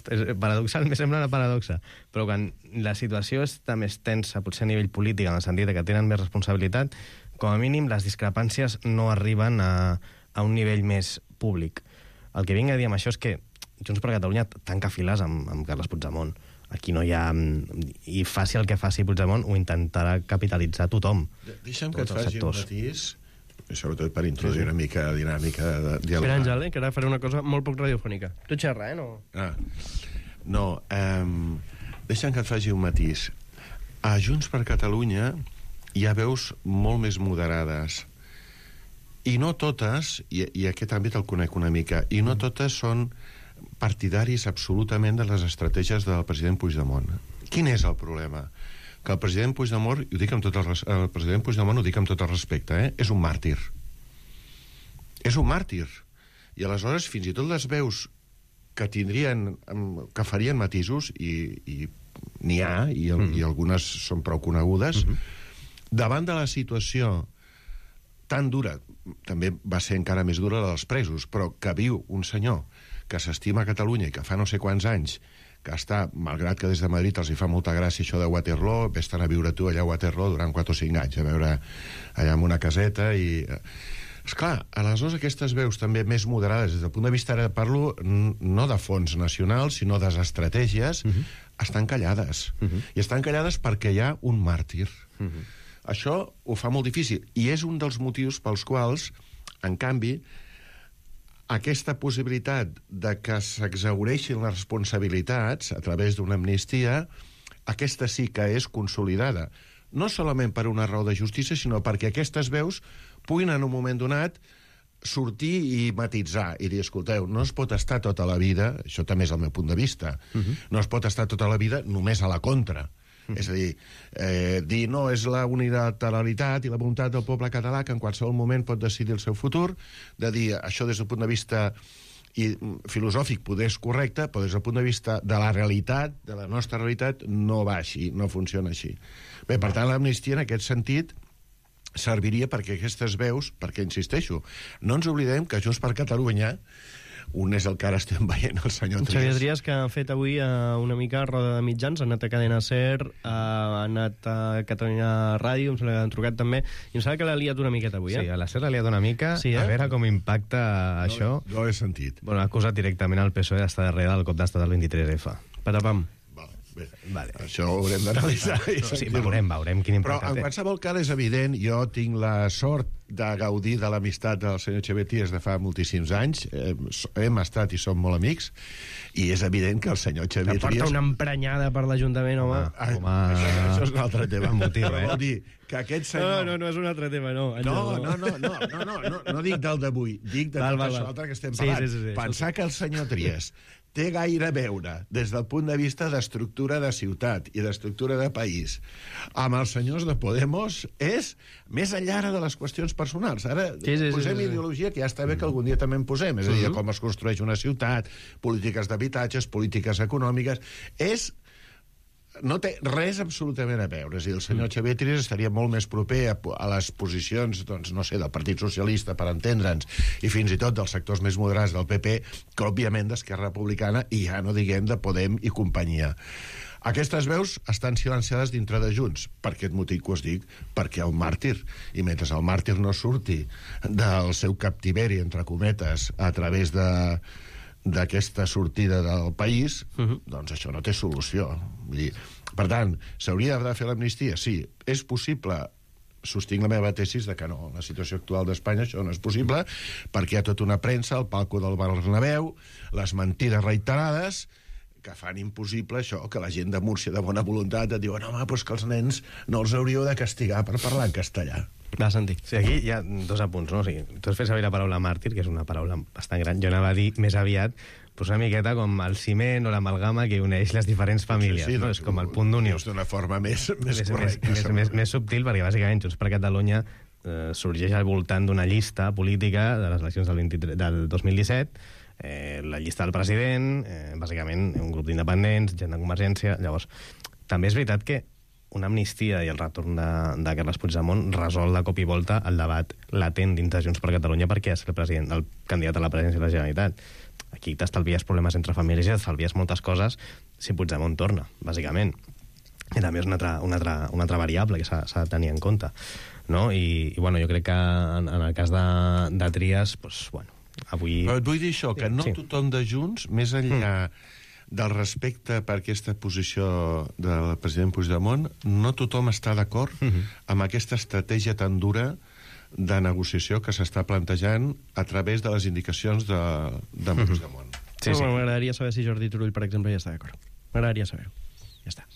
paradoxal, me sembla una paradoxa, però quan la situació està més tensa, potser a nivell polític, en el sentit que tenen més responsabilitat, com a mínim les discrepàncies no arriben a, a un nivell més públic. El que vinc a dir amb això és que Junts per Catalunya tanca files amb, amb Carles Puigdemont. Aquí no hi ha... I faci el que faci Puigdemont, ho intentarà capitalitzar tothom. Deixa'm que et faci un matís, sobretot per introduir una mica de dinàmica de diàleg. Espera, Àngel, eh, que ara faré una cosa molt poc radiofònica. Tu xerra, eh? No, ah. no um, deixa'm que et faci un matís. A Junts per Catalunya hi ha veus molt més moderades. I no totes, i, i aquest àmbit el conec una mica, i no totes són partidaris absolutament de les estratègies del president Puigdemont. Quin és el problema? Que el president Puigdemont, i ho dic amb tot el, el president Puigdemont ho dic amb tot el respecte, eh? És un màrtir. És un màrtir. I aleshores, fins i tot les veus que tindrien, que farien matisos, i, i n'hi ha, i, el, mm. i algunes són prou conegudes, mm-hmm. davant de la situació tan dura, també va ser encara més dura la dels presos, però que viu un senyor que s'estima a Catalunya i que fa no sé quants anys que està, malgrat que des de Madrid els hi fa molta gràcia això de Waterloo, vés-te'n a viure tu allà a Waterloo durant quatre o cinc anys, a veure allà en una caseta i... Esclar, aleshores aquestes veus també més moderades, des del punt de vista, ara parlo no de fons nacionals, sinó de les estratègies, uh-huh. estan callades. Uh-huh. I estan callades perquè hi ha un màrtir. Uh-huh. Això ho fa molt difícil. I és un dels motius pels quals, en canvi, aquesta possibilitat de que s'exhaureixin les responsabilitats a través d'una amnistia, aquesta sí que és consolidada. No solament per una raó de justícia, sinó perquè aquestes veus puguin en un moment donat sortir i matitzar i dir, escolteu, no es pot estar tota la vida, això també és el meu punt de vista, uh-huh. no es pot estar tota la vida només a la contra. Uh-huh. És a dir, eh, dir no, és la unilateralitat i la voluntat del poble català que en qualsevol moment pot decidir el seu futur, de dir això des del punt de vista i filosòfic poder és correcte, però des del punt de vista de la realitat, de la nostra realitat, no va així, no funciona així. Bé, per tant, l'amnistia en aquest sentit serviria perquè aquestes veus, perquè, insisteixo, no ens oblidem que Junts per Catalunya, un és el que ara estem veient, el senyor Trias. Xavier Trias, que ha fet avui uh, una mica roda de mitjans, ha anat a Cadena Ser, uh, ha anat a Catalunya Ràdio, em sembla que han trucat també, i em sembla que l'ha liat una miqueta avui, eh? Sí, a la Ser l'ha liat una mica, sí, eh? A veure com impacta no, això. No ho he sentit. Bueno, ha acusat directament el P S O E d'estar darrere del cop d'estat del vint-i-tres F. Patapam. Bé, vale. Això ho haurem d'analitzar. No, sí, veurem, veurem quin impacte té. Però en qualsevol cas és evident, jo tinc la sort de gaudir de l'amistat del senyor Xavier Trias de fa moltíssims anys, eh, hem estat i som molt amics, i és evident que el senyor Xavier Trias... Que porta una emprenyada per l'Ajuntament, home. Ah, home. Això, això és un altre tema. Motiu, eh? Vol dir que aquest senyor... No, no, no és un altre tema, no. No, no, no, no, no, no, no, no dic del d'avui, dic de val, tot val, això altre que estem parlant. Sí, sí, sí, pensar que el senyor Trias té gaire a veure, des del punt de vista d'estructura de ciutat i d'estructura de país, amb els senyors de Podemos, és més enllà de les qüestions personals. Ara sí, sí, posem sí, sí, ideologia, que ja està bé que algun dia també en posem, és a dir, com es construeix una ciutat, polítiques d'habitatges, polítiques econòmiques, és... no té res absolutament a veure. És a dir, el senyor Xavier Trias estaria molt més proper a, a les posicions, doncs, no sé, del Partit Socialista, per entendre'ns, i fins i tot dels sectors més moderats del P P, que, òbviament, d'Esquerra Republicana, i ja no diguem de Podem i companyia. Aquestes veus estan silenciades dintre de Junts. Per aquest motiu que us dic, perquè el màrtir, i mentre el màrtir no surti del seu captiveri, entre cometes, a través de... d'aquesta sortida del país, uh-huh. doncs això no té solució. Vull dir, per tant, s'hauria de fer l'amnistia? Sí. És possible? Sostinc la meva tesis de que no. En la situació actual d'Espanya això no és possible, perquè hi ha tota una premsa, el palco del Bernabéu, les mentides reiterades, que fan impossible això, que la gent de Múrcia de bona voluntat et diuen, home, doncs que els nens no els hauríeu de castigar per parlar en castellà. Va, Santi. Sí, aquí hi ha dos apunts, no? O sigui, tu has fet servir la paraula màrtir, que és una paraula bastant gran. Jo anava a dir més aviat pues una miqueta com el ciment o l'amalgama que uneix les diferents famílies. Sí, sí, no? És com el punt d'unió. És d'una forma més, més, més correcta. Més, més, més, més subtil, perquè bàsicament Junts per Catalunya eh, sorgeix al voltant d'una llista política de les eleccions del, vint-i-tres, del dos mil disset, eh, la llista del president, eh, bàsicament un grup d'independents, gent de Convergència. Llavors, també és veritat que una amnistia i el retorn de, de Carles Puigdemont resol de cop i volta el debat latent dins de Junts per Catalunya perquè és el, president, el candidat a la presidència de la Generalitat. Aquí t'estalvies problemes entre famílies i t'estalvies moltes coses si Puigdemont torna, bàsicament. I també és una altra, una altra, una altra variable que s'ha de tenir en compte. No? I, i bueno, jo crec que en, en el cas de, de Trias, pues, bueno, avui... Però et vull dir això, que no sí. tothom de Junts, més enllà... Mm. del respecte per aquesta posició del president Puigdemont, no tothom està d'acord uh-huh. amb aquesta estratègia tan dura de negociació que s'està plantejant a través de les indicacions de, de uh-huh. Puigdemont. Sí, sí. M'agradaria saber si Jordi Turull, per exemple, ja està d'acord. M'agradaria saber-ho. Ja está.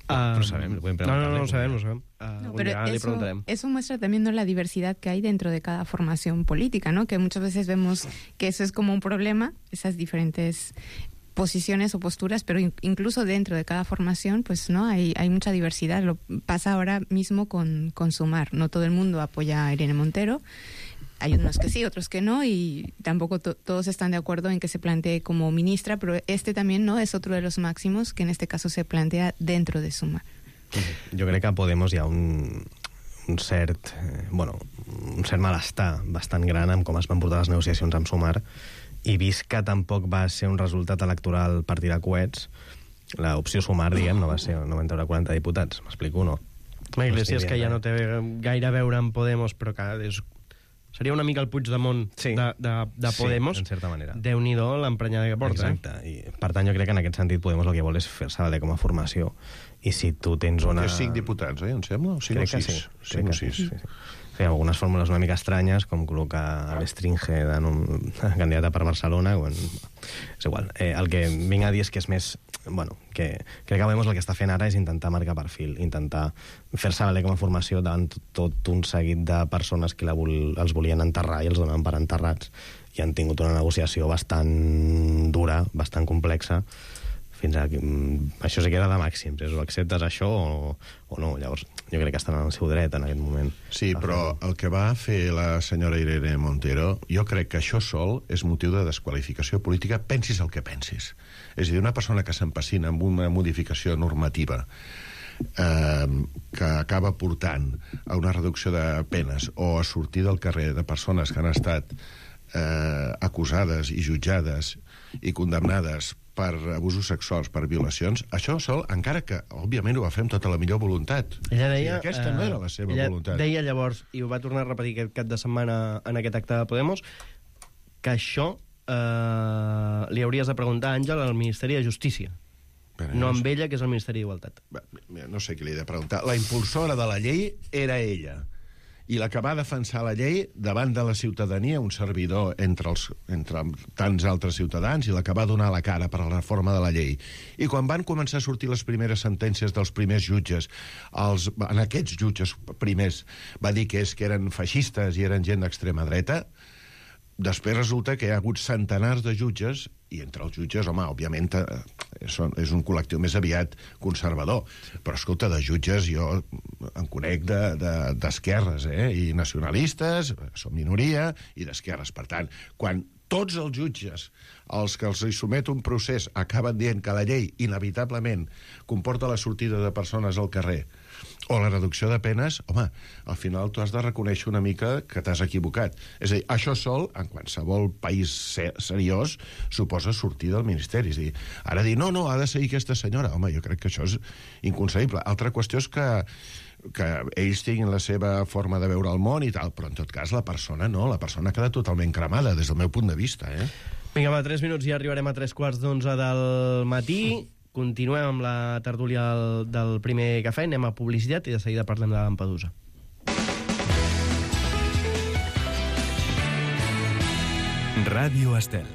Uh, no sabem, lo pueden preguntar. No, no, no, no sabem, no sabem. Uh, no, pero eso, eso muestra también, ¿no?, la diversidad que hay dentro de cada formación política, ¿no? Que muchas veces vemos que eso es como un problema, esas diferentes posiciones o posturas, pero incluso dentro de cada formación, pues no hay, hay mucha diversidad. Lo pasa ahora mismo con, con Sumar. No todo el mundo apoya a Irene Montero. Hay unos que sí, otros que no, y tampoco to todos están de acuerdo en que se plantee como ministra, pero este también no es otro de los máximos que en este caso se plantea dentro de Sumar. Jo crec que a Podemos hi ha un, un cert, eh, bueno, un cert malestar bastant gran amb com es van portar les negociacions amb Sumar, i vist que tampoc va ser un resultat electoral partir de coets, l'opció Sumar, diguem, no va ser, no van treure quaranta diputats, m'explico, no? La Iglesias, que ja no té gaire a veure amb Podemos, però que és Seria una mica el Puigdemont sí. de, de, de Podemos. Sí, en certa manera. Déu-n'hi-do l'emprenyada que porta. Exacte. Eh? I, per tant, jo crec que en aquest sentit Podemos el que vol és fer-se valer com a formació. I si tu tens una... Té cinc diputats, eh, em sembla? O cinc crec o sis? Que sí. Cinc o sis. sis. Sí, sí. Sí, algunes fórmules una mica estranyes, com col·locar a l'Estringe de nom... candidata per Barcelona. Quan... És igual. Eh, el que vinc a dir és que és més... Bueno, que crec que Podemos el que està fent ara és intentar marcar perfil, intentar fer-se valer com a formació davant tot un seguit de persones que la vol... els volien enterrar i els donaven per enterrats, i han tingut una negociació bastant dura, bastant complexa, fins a... Això se queda de màxims, és o acceptes això o, o no. Llavors, jo crec que estan en el seu dret en aquest moment. Sí, però el que va fer la senyora Irene Montero, jo crec que això sol és motiu de desqualificació política, pensis el que pensis. És a dir, una persona que s'empacina amb una modificació normativa eh, que acaba portant a una reducció de penes o a sortir del carrer de persones que han estat eh, acusades i jutjades i condemnades per abusos sexuals, per violacions, això sol, encara que, òbviament, ho va fer amb tota la millor voluntat. Ella deia... Sí, aquesta no era la seva ella voluntat. Deia llavors, i ho va tornar a repetir aquest cap de setmana en aquest acte de Podemos, que això eh, li hauries de preguntar, Àngel, al Ministeri de Justícia. Però no amb ella, que és el Ministeri d'Igualtat. No sé què li he de preguntar. La impulsora de la llei era ella. I la que va defensar la llei davant de la ciutadania, un servidor entre, els, entre tants altres ciutadans, i la que va donar la cara per a la reforma de la llei. I quan van començar a sortir les primeres sentències dels primers jutges, els, en aquests jutges primers va dir que, és, que eren feixistes i eren gent d'extrema dreta, després resulta que hi ha hagut centenars de jutges, i entre els jutges, home, òbviament, és un col·lectiu més aviat conservador. Però, escolta, de jutges jo en conec d'esquerres, de, de, eh? I nacionalistes, som minoria, i d'esquerres. Per tant, quan tots els jutges, els que els hi somet un procés, acaben dient que la llei, inevitablement, comporta la sortida de persones al carrer, o la reducció de penes, home, al final tu has de reconèixer una mica que t'has equivocat. És a dir, això sol, en qualsevol país seriós, suposa sortir del Ministeri. És a dir, ara dir, no, no, ha de seguir aquesta senyora. Home, jo crec que això és inconcebible. Altra qüestió és que que ells tinguin la seva forma de veure el món i tal, però en tot cas la persona no, la persona queda totalment cremada, des del meu punt de vista, eh? Vinga, va, tres minuts i arribarem a tres quarts d'onze del matí. Continuem amb la tertúlia del, del primer cafè, anem a publicitat i de seguida parlem de Lampedusa. Ràdio Estel.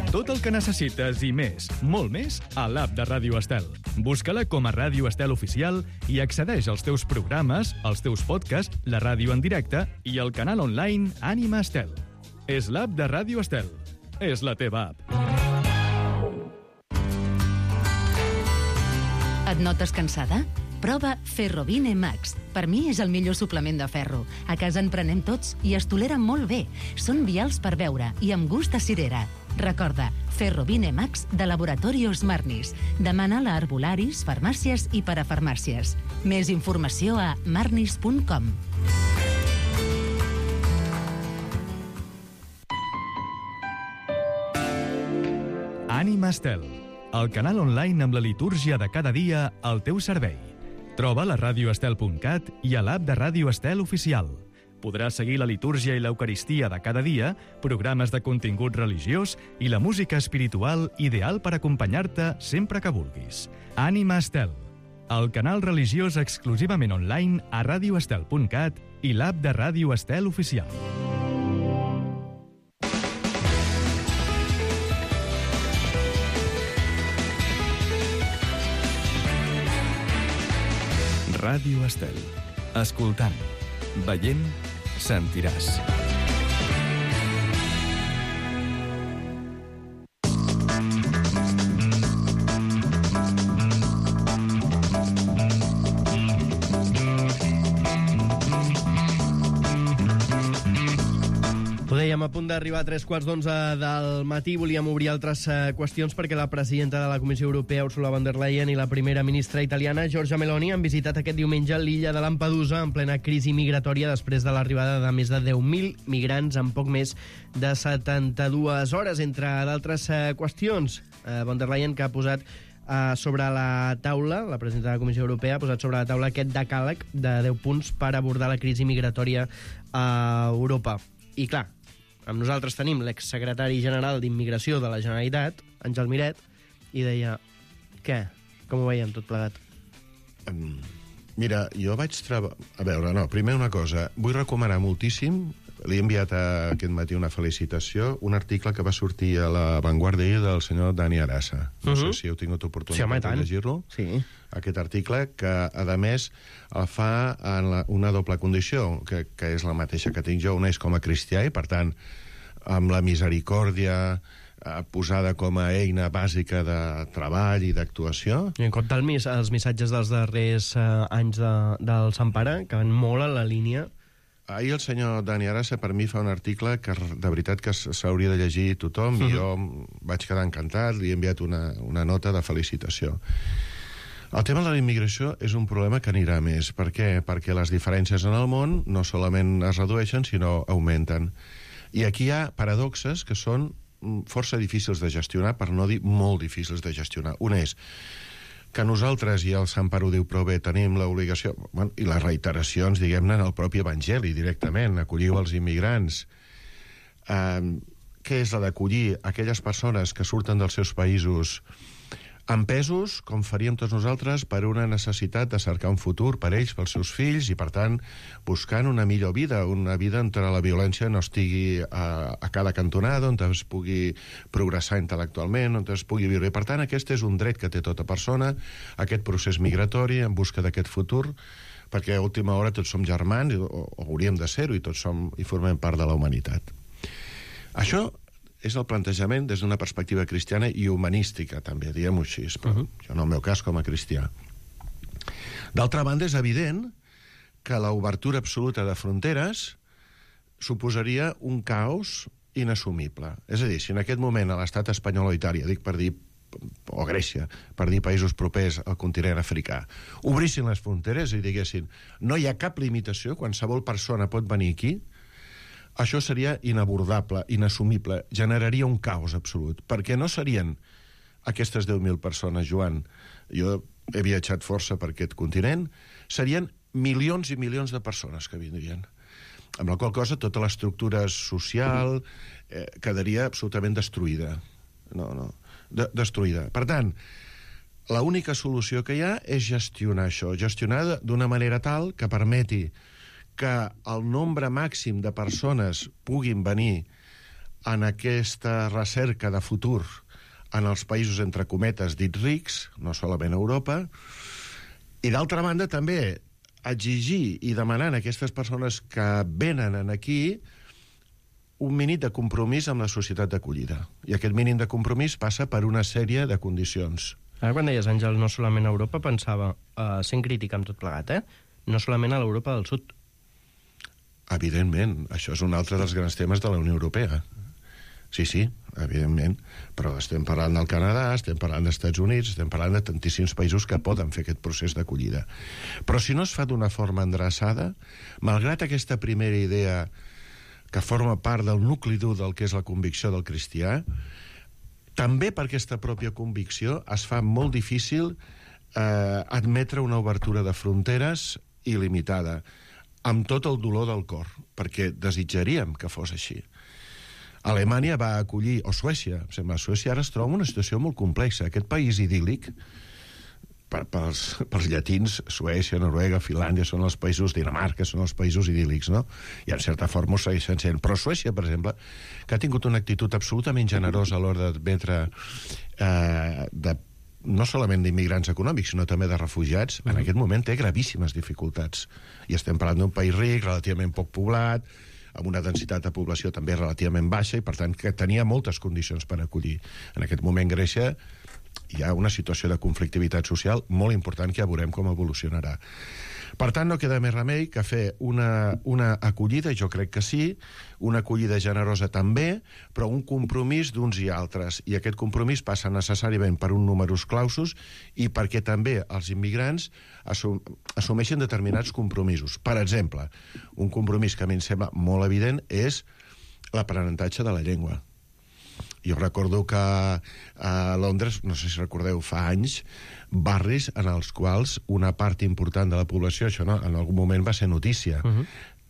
Tot el que necessites i més, molt més, a l'app de Ràdio Estel. Busca-la com a Ràdio Estel Oficial i accedeix als teus programes, als teus podcasts, la ràdio en directe i el canal online Ànima Estel. És l'app de Ràdio Estel. És la teva app. Et notes cansada? Prova Ferrovine Max. Per mi és el millor suplement de ferro. A casa en prenem tots i es toleren molt bé. Són vials per beure i amb gust a cirera. Recorda, Ferrovine Max de Laboratorios Marnis. Demana-la a herbolaris, farmàcies i parafarmàcies. Més informació a marnis punt com. Ànima Estel, el canal online amb la litúrgia de cada dia al teu servei. Troba a radio estel punt cat i a l'app de Ràdio Estel Oficial. Podràs seguir la litúrgia i l'eucaristia de cada dia, programes de contingut religiós i la música espiritual ideal per acompanyar-te sempre que vulguis. Ànima Estel, el canal religiós exclusivament online a radio estel punt cat i l'app de Ràdio Estel Oficial. Ràdio Estel. Escoltant, veient, sentiràs. Ho dèiem, a punt d'arribar a tres quarts d'onze del matí. Volíem obrir altres eh, qüestions perquè la presidenta de la Comissió Europea, Ursula von der Leyen, i la primera ministra italiana, Giorgia Meloni, han visitat aquest diumenge l'illa de Lampedusa en plena crisi migratòria després de l'arribada de més de deu mil migrants en poc més de setanta-dues hores, entre d'altres eh, qüestions. Eh, von der Leyen, que ha posat uh, sobre la taula, la presidenta de la Comissió Europea ha posat sobre la taula aquest decàleg de deu punts per abordar la crisi migratòria a Europa. I clar, amb nosaltres tenim l'exsecretari general d'Immigració de la Generalitat, Àngel Miret, i deia, què? Com ho veiem tot plegat? Um, mira, jo vaig treballar... A veure, no, primer una cosa. Vull recomanar moltíssim, li he enviat a, aquest matí una felicitació, un article que va sortir a La Vanguardia del senyor Dani Arasa. No uh-huh. sé si heu tingut oportunitat sí, home, de llegir-lo. Sí. Aquest article, que, a més, el fa en la, una doble condició, que, que és la mateixa que tinc jo. Una és com a cristià i, per tant, amb la misericòrdia posada com a eina bàsica de treball i d'actuació. I en compte el mis, els missatges dels darrers eh, anys de, del Sant Pare, que van molt a la línia. Ahir el senyor Dani Arasa per mi fa un article que de veritat que s'hauria de llegir tothom, uh-huh. i jo vaig quedar encantat, li he enviat una, una nota de felicitació. El tema de la immigració és un problema que anirà més. Per què? Perquè les diferències en el món no solament es redueixen, sinó augmenten. I aquí hi ha paradoxes que són força difícils de gestionar, per no dir molt difícils de gestionar. Una és que nosaltres, i el Sant Pare ho diu prou bé, tenim l'obligació, bueno, i les reiteracions, diguem-ne, en el propi Evangeli, directament, acolliu els immigrants. Eh, què és la d'acollir aquelles persones que surten dels seus països empesos, com faríem tots nosaltres, per una necessitat de cercar un futur per ells, pels seus fills, i, per tant, buscant una millor vida, una vida on la violència no estigui a, a cada cantonada, on es pugui progressar intel·lectualment, on es pugui viure. I, per tant, aquest és un dret que té tota persona, aquest procés migratori en busca d'aquest futur, perquè a última hora tots som germans, o, o hauríem de ser-ho, i tots som i formem part de la humanitat. Això és el plantejament des d'una perspectiva cristiana i humanística, també, diguem-ho així, però uh-huh. jo en el meu cas com a cristià. D'altra banda, és evident que l'obertura absoluta de fronteres suposaria un caos inassumible. És a dir, si en aquest moment a l'estat espanyol o Itàlia, dic per dir, o Grècia, per dir països propers al continent africà, obrissin les fronteres i diguessin no hi ha cap limitació, qualsevol persona pot venir aquí, això seria inabordable, inassumible, generaria un caos absolut, perquè no serien aquestes deu mil persones, Joan, jo he viatjat força per aquest continent, serien milions i milions de persones que vindrien. Amb la qual cosa tota l'estructura social eh, quedaria absolutament destruïda. No, no, de, destruïda. Per tant, l'única solució que hi ha és gestionar això, gestionar d'una manera tal que permeti que el nombre màxim de persones puguin venir en aquesta recerca de futur en els països, entre cometes, dits rics, no solament a Europa, i d'altra banda també exigir i demanar a aquestes persones que venen aquí un mínim de compromís amb la societat d'acollida. I aquest mínim de compromís passa per una sèrie de condicions. Ara quan deies, Àngel, no solament a Europa, pensava, uh, sent crític amb tot plegat, eh? No solament a l'Europa del Sud. Evidentment, això és un altre dels grans temes de la Unió Europea. Sí, sí, evidentment, però estem parlant del Canadà, estem parlant dels Estats Units, estem parlant de tantíssims països que poden fer aquest procés d'acollida. Però si no es fa d'una forma endreçada, malgrat aquesta primera idea que forma part del nucli dur del que és la convicció del cristià, també per aquesta pròpia convicció es fa molt difícil eh, admetre una obertura de fronteres il·limitada, amb tot el dolor del cor, perquè desitjaríem que fos així. Alemanya va acollir, o Suècia, em sembla, Suècia ara es troba en una situació molt complexa. Aquest país idíl·lic, per, pels, pels llatins, Suècia, Noruega, Finlàndia, són els països, Dinamarca, són els països idíl·lics, no? I en certa forma ho segueixen sent. Però Suècia, per exemple, que ha tingut una actitud absolutament generosa a l'hora d'admetre eh, de no solament d'immigrants econòmics, sinó també de refugiats, uh-huh. en aquest moment té gravíssimes dificultats. I estem parlant d'un país ric, relativament poc poblat, amb una densitat de població també relativament baixa, i per tant que tenia moltes condicions per acollir. En aquest moment Grècia hi ha una situació de conflictivitat social molt important que ja veurem com evolucionarà. Per tant, no queda més remei que fer una, una acollida, jo crec que sí, una acollida generosa també, però un compromís d'uns i altres. I aquest compromís passa necessàriament per un numerus clausus i perquè també els immigrants assum assumeixen determinats compromisos. Per exemple, un compromís que a mi em sembla molt evident és l'aprenentatge de la llengua. Jo recordo que a Londres, no sé si recordeu, fa anys, barris en els quals una part important de la població, això no, en algun moment va ser notícia, uh-huh.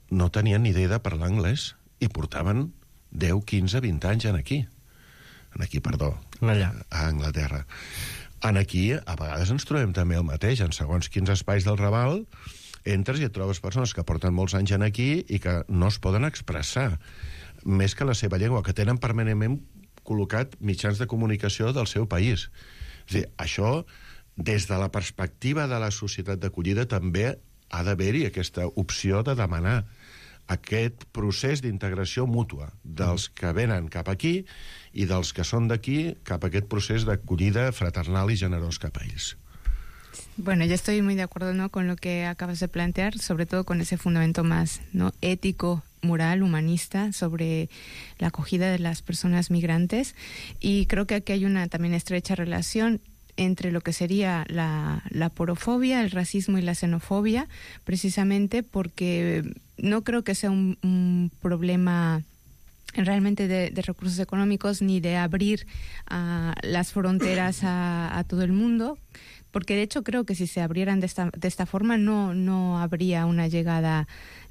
no tenien ni idea de parlar anglès i portaven deu, quinze, vint anys en aquí. En aquí, perdó. Allà. A Anglaterra. En aquí, a vegades ens trobem també el mateix. En segons quins espais del Raval, entres i et trobes persones que porten molts anys en aquí i que no es poden expressar més que la seva llengua, que tenen permanentment col·locat mitjans de comunicació del seu país. És a dir, això, des de la perspectiva de la societat d'acollida, també ha d'haver-hi aquesta opció de demanar aquest procés d'integració mútua dels que venen cap aquí i dels que són d'aquí cap a aquest procés d'acollida fraternal y generós cap a ells. Bueno, yo estoy muy de acuerdo, ¿no?, con lo que acabas de plantear, sobre todo con ese fundamento más, ¿no?, ético, moral, humanista, sobre la acogida de las personas migrantes. Y creo que aquí hay una también estrecha relación entre lo que sería la, la porofobia, el racismo y la xenofobia, precisamente porque no creo que sea un, un problema realmente de, de recursos económicos ni de abrir uh, las fronteras a, a todo el mundo, porque de hecho creo que si se abrieran de esta, de esta forma no, no habría una llegada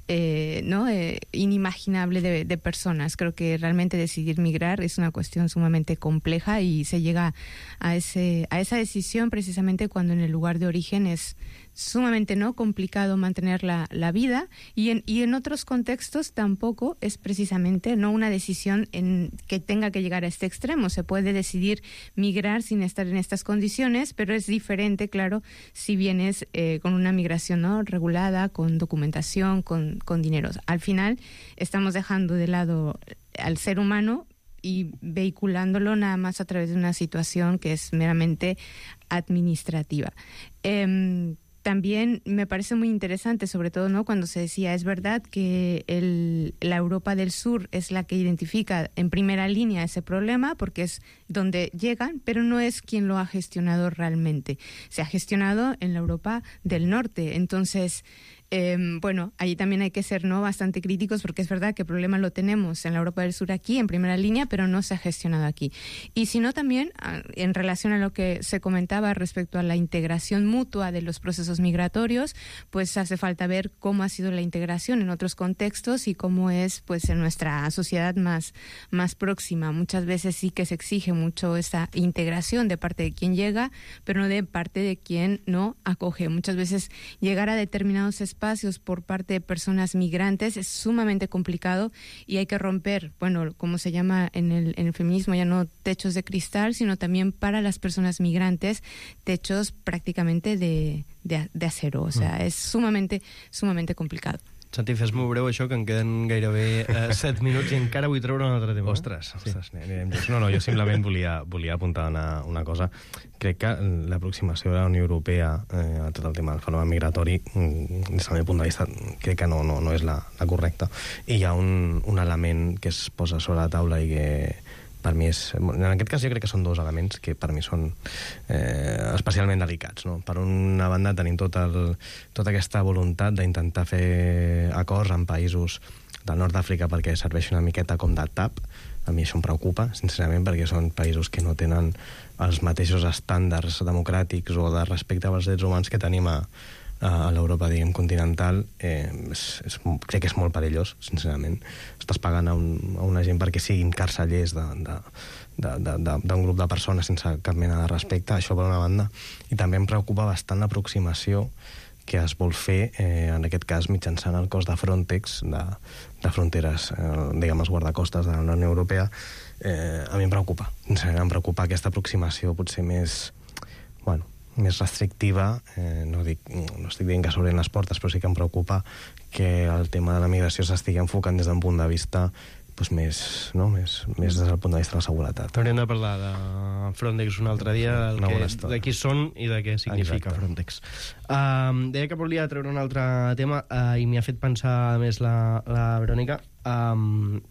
Eh, ¿no? eh, inimaginable de, de personas. Creo que realmente decidir migrar es una cuestión sumamente compleja y se llega a, ese, a esa decisión precisamente cuando en el lugar de origen es sumamente no complicado mantener la, la vida y en, y en otros contextos tampoco es precisamente no una decisión en que tenga que llegar a este extremo. Se puede decidir migrar sin estar en estas condiciones, pero es diferente, claro, si vienes eh, con una migración, ¿no?, regulada, con documentación, con, con dinero. Al final estamos dejando de lado al ser humano y vehiculándolo nada más a través de una situación que es meramente administrativa. Eh, También me parece muy interesante, sobre todo, ¿no?, cuando se decía, es verdad que el, la Europa del Sur es la que identifica en primera línea ese problema, porque es donde llegan, pero no es quien lo ha gestionado realmente. Se ha gestionado en la Europa del Norte. Entonces, eh, bueno, allí también hay que ser, ¿no?, bastante críticos, porque es verdad que el problema lo tenemos en la Europa del Sur aquí, en primera línea, pero no se ha gestionado aquí. Y si no, también, en relación a lo que se comentaba respecto a la integración mutua de los procesos migratorios, pues hace falta ver cómo ha sido la integración en otros contextos y cómo es, pues, en nuestra sociedad más, más próxima. Muchas veces sí que se exige mucho esa integración de parte de quien llega, pero no de parte de quien no acoge. Muchas veces llegar a determinados espacios por parte de personas migrantes es sumamente complicado y hay que romper, bueno, como se llama en el, en el feminismo, ya no techos de cristal, sino también para las personas migrantes, techos prácticamente de, de, de acero. O sea, mm. es sumamente, sumamente complicado. Santi, fes-m'ho breu, això, que em queden gairebé eh, set minuts i encara vull treure un altre tema. Ostres, ostres, sí. No, no, jo simplement volia, volia apuntar una, una cosa. Crec que l'aproximació de la Unió Europea eh, a tot el tema del fenomen migratori, des del meu punt de vista, crec que no, no, no és la, la correcta. I hi ha un, un element que es posa sobre la taula i que per mi és... En aquest cas jo crec que són dos elements que per mi són eh, especialment delicats, no? Per una banda tenim tot el, tota aquesta voluntat d'intentar fer acords en països del nord d'Àfrica perquè serveixi una miqueta com de tap. A mi això em preocupa, sincerament, perquè són països que no tenen els mateixos estàndards democràtics o de respecte als drets humans que tenim a, a l'Europa, diguem, continental. Eh, és, és, crec que és molt perillós, sincerament. Estàs pagant a, un, a una gent perquè siguin carcellers d'un grup de persones sense cap mena de respecte, això per una banda. I també em preocupa bastant l'aproximació que es vol fer, eh, en aquest cas, mitjançant el cos de Frontex, de, de fronteres, eh, diguem, els guardacostes de la Unió Europea. Eh, a mi em preocupa. Em preocupa aquesta aproximació potser més, bueno, més restrictiva. Eh, no, dic, no estic dient que s'obrin les portes, però sí que em preocupa que el tema de la migració s'estigui enfocant des d'un punt de vista pues, més, no? més, més des del punt de vista de la seguretat. Hauríem de parlar de Frontex un altre dia, de qui són i de què significa Exacte. Frontex. Um, deia que volia treure un altre tema uh, i m'hi ha fet pensar, a més, la, la Verònica. Um,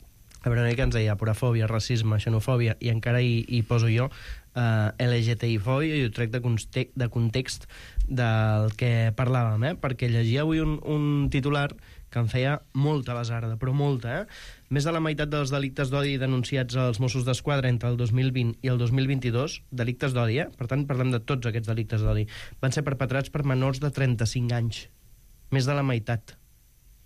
la Verònica ens deia porafòbia, racisme, xenofòbia, i encara hi, hi poso jo uh, L G T I fòbia, i ho trec de, conte de context del que parlàvem, eh? Perquè llegia avui un, un titular que em feia molta basarda, però molta, eh? Més de la meitat dels delictes d'odi denunciats als Mossos d'Esquadra entre el dos mil vint i el dos mil vint-i-dos, delictes d'odi, eh? Per tant, parlem de tots aquests delictes d'odi, van ser perpetrats per menors de trenta-cinc anys. Més de la meitat.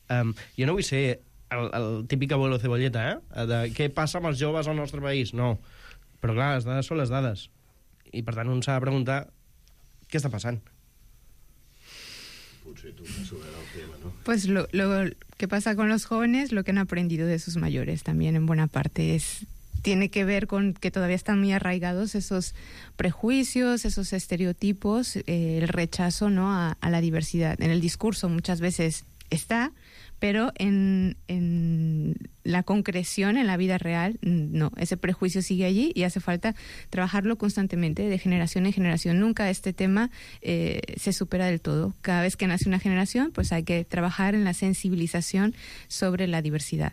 Um, jo no vull ser el, el típic abuelo cebolleta, eh? De què passa amb els joves al nostre país. No. Però clar, les dades són les dades. I per tant un s'ha de preguntar què està passant. Pues lo, lo que pasa con los jóvenes, lo que han aprendido de sus mayores también en buena parte es tiene que ver con que todavía están muy arraigados esos prejuicios, esos estereotipos, eh, el rechazo, ¿no?, a, a la diversidad. En el discurso muchas veces está, pero en, en la concreción, en la vida real, no. Ese prejuicio sigue allí y hace falta trabajarlo constantemente, de generación en generación. Nunca este tema eh, se supera del todo. Cada vez que nace una generación, pues hay que trabajar en la sensibilización sobre la diversidad.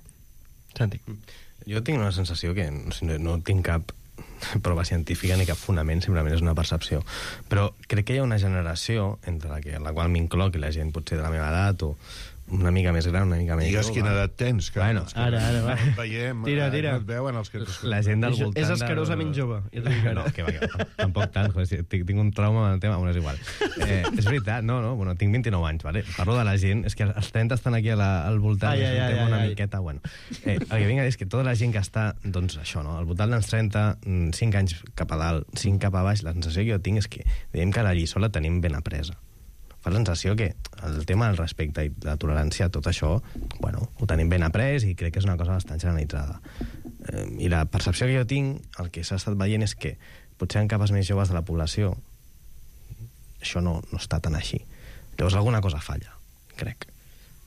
Santi. Jo tinc una sensació que no, no tinc cap prova científica ni cap fonament, simplement és una percepció. Però crec que hi ha una generació, entre la, que, la qual m'incloc, i la gent potser de la meva edat o una mica més gran, una mica més Digues jove. quina edat tens, que bueno, que ara, ara, va. Veiem, Tira, tira. No et veuen els que... La gent del voltant... És escarosament jove, ja t'ho dic ara. No, que va, que va. Tampoc tant, joder, tinc, tinc un trauma amb el tema, bueno, és igual. Eh, és veritat, no, no, bueno, tinc vint-i-nou anys, vale? Parlo de la gent, és que els trenta estan aquí a la, al voltant, ai, és un ai, tema ai, una ai. miqueta, bueno. Eh, el que vinc a dir és que tota la gent que està, doncs això, no, al voltant dels trenta, cinc anys cap a dalt, cinc cap a baix, la sensació que jo tinc és que diguem que la lliçó la tenim ben apresa. Fa la sensació que el tema del respecte i la tolerància, tot això, bueno, ho tenim ben après i crec que és una cosa bastant generalitzada. Eh, I la percepció que jo tinc, el que s'ha estat veient és que potser en capes més joves de la població això no, no està tan així. Llavors alguna cosa falla, crec.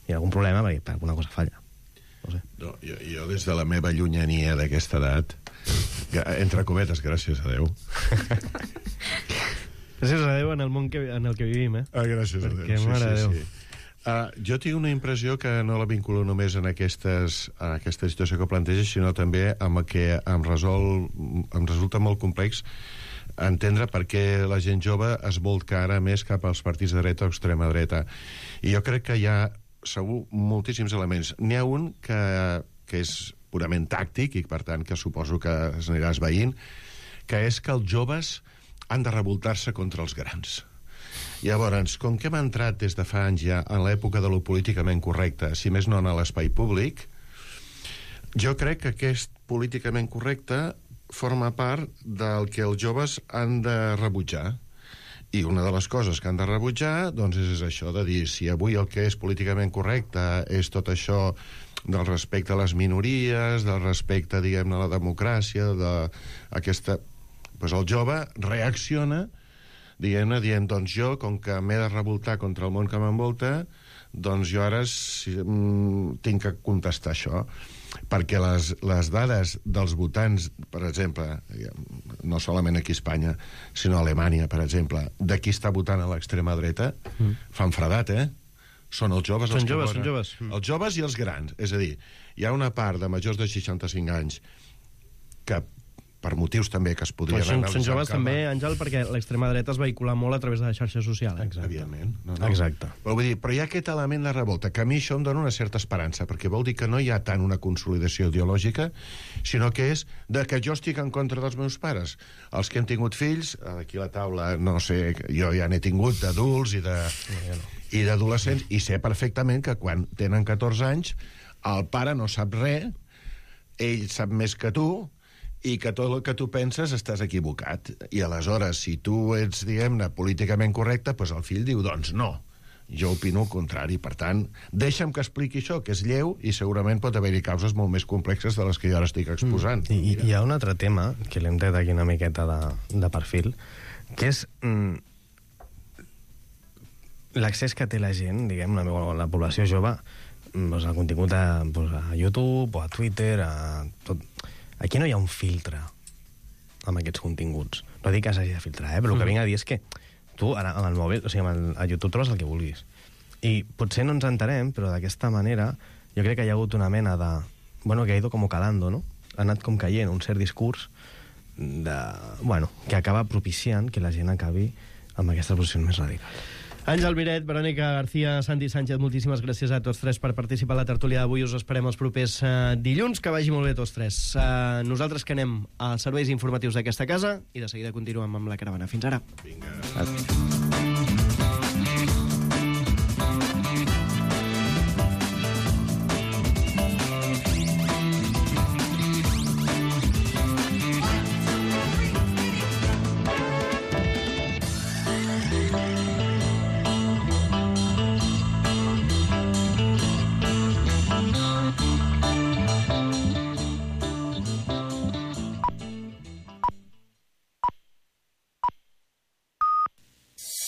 Hi ha algun problema perquè alguna cosa falla. No sé. No, jo, jo des de la meva llunyania d'aquesta edat, que, entre cometes, gràcies a Déu... Gràcies a Déu en el món que, en el que vivim, eh? Ah, gràcies Perquè, a Déu. mare sí, de Déu. sí, sí. Uh, jo tinc una impressió que no la vinculo només en, aquestes, en aquesta situació que planteges, sinó també amb el que em, resol, em resulta molt complex entendre per què la gent jove es volca ara més cap als partits de dreta o extrema dreta. I jo crec que hi ha segur moltíssims elements. N'hi ha un que, que és purament tàctic i per tant que suposo que es anirà esveint, que és que els joves han de revoltar-se contra els grans. Llavors, com que hem entrat des de fa anys ja en l'època de lo políticament correcte, si més no en l'espai públic, jo crec que aquest políticament correcte forma part del que els joves han de rebutjar. I una de les coses que han de rebutjar doncs és això de dir, si avui el que és políticament correcte és tot això del respecte a les minories, del respecte, diguem-ne, a la democràcia, d'aquesta... Pues el jove reacciona dient, dient, doncs jo, com que m'he de revoltar contra el món que m'envolta, doncs jo ara si, mm, tinc que contestar això. Perquè les, les dades dels votants, per exemple, no solament aquí a Espanya, sinó a Alemanya, per exemple, de qui està votant a l'extrema dreta, mm. fan fredat, eh? Són els joves són els joves, que són joves. Mm. Els joves i els grans. És a dir, hi ha una part de majors de seixanta-cinc anys que per motius també que es podrien són, analitzar... Són joves també, Àngel, perquè l'extrema dreta es vehicula molt a través de la xarxa social. Eh? Exacte. Evidentment. No, no. Exacte. Però, vull dir, però hi ha aquest element de revolta, que a mi això em dona una certa esperança, perquè vol dir que no hi ha tant una consolidació ideològica, sinó que és de que jo estic en contra dels meus pares. Els que hem tingut fills, aquí a la taula, no sé, jo ja n'he tingut d'adults i de... No, no. i d'adolescents, i sé perfectament que quan tenen catorze anys el pare no sap res, ell sap més que tu, i que tot el que tu penses estàs equivocat. I aleshores, si tu ets, diguem-ne, políticament correcte, doncs el fill diu, doncs no, jo opino el contrari. Per tant, deixa'm que expliqui això, que és lleu, i segurament pot haver-hi causes molt més complexes de les que jo ara estic exposant. Mm. I, I hi ha un altre tema, que l'hem tret aquí una miqueta de, de perfil, que és mm, l'accés que té la gent, diguem, la, la població jove, doncs, al contingut a, doncs, a YouTube o a Twitter, a tot... Aquí no hi ha un filtre amb aquests continguts. No dic que s'hagi de filtrar, eh? Però el que vinc a dir és que tu, ara, amb el mòbil, o sigui, amb el, a YouTube trobes el que vulguis. I potser no ens entenem, però d'aquesta manera jo crec que hi ha hagut una mena de... Bueno, que ha ido como calando, no? Ha anat com caient un cert discurs de, bueno, que acaba propiciant que la gent acabi amb aquestes posicions més radicals. Àngel Miret, Verònica García, Santi Sánchez, moltíssimes gràcies a tots tres per participar a la tertúlia d'avui. Us esperem els propers uh, dilluns. Que vagi molt bé tots tres. Uh, nosaltres que anem als serveis informatius d'aquesta casa i de seguida continuem amb la caravana. Fins ara. Vinga.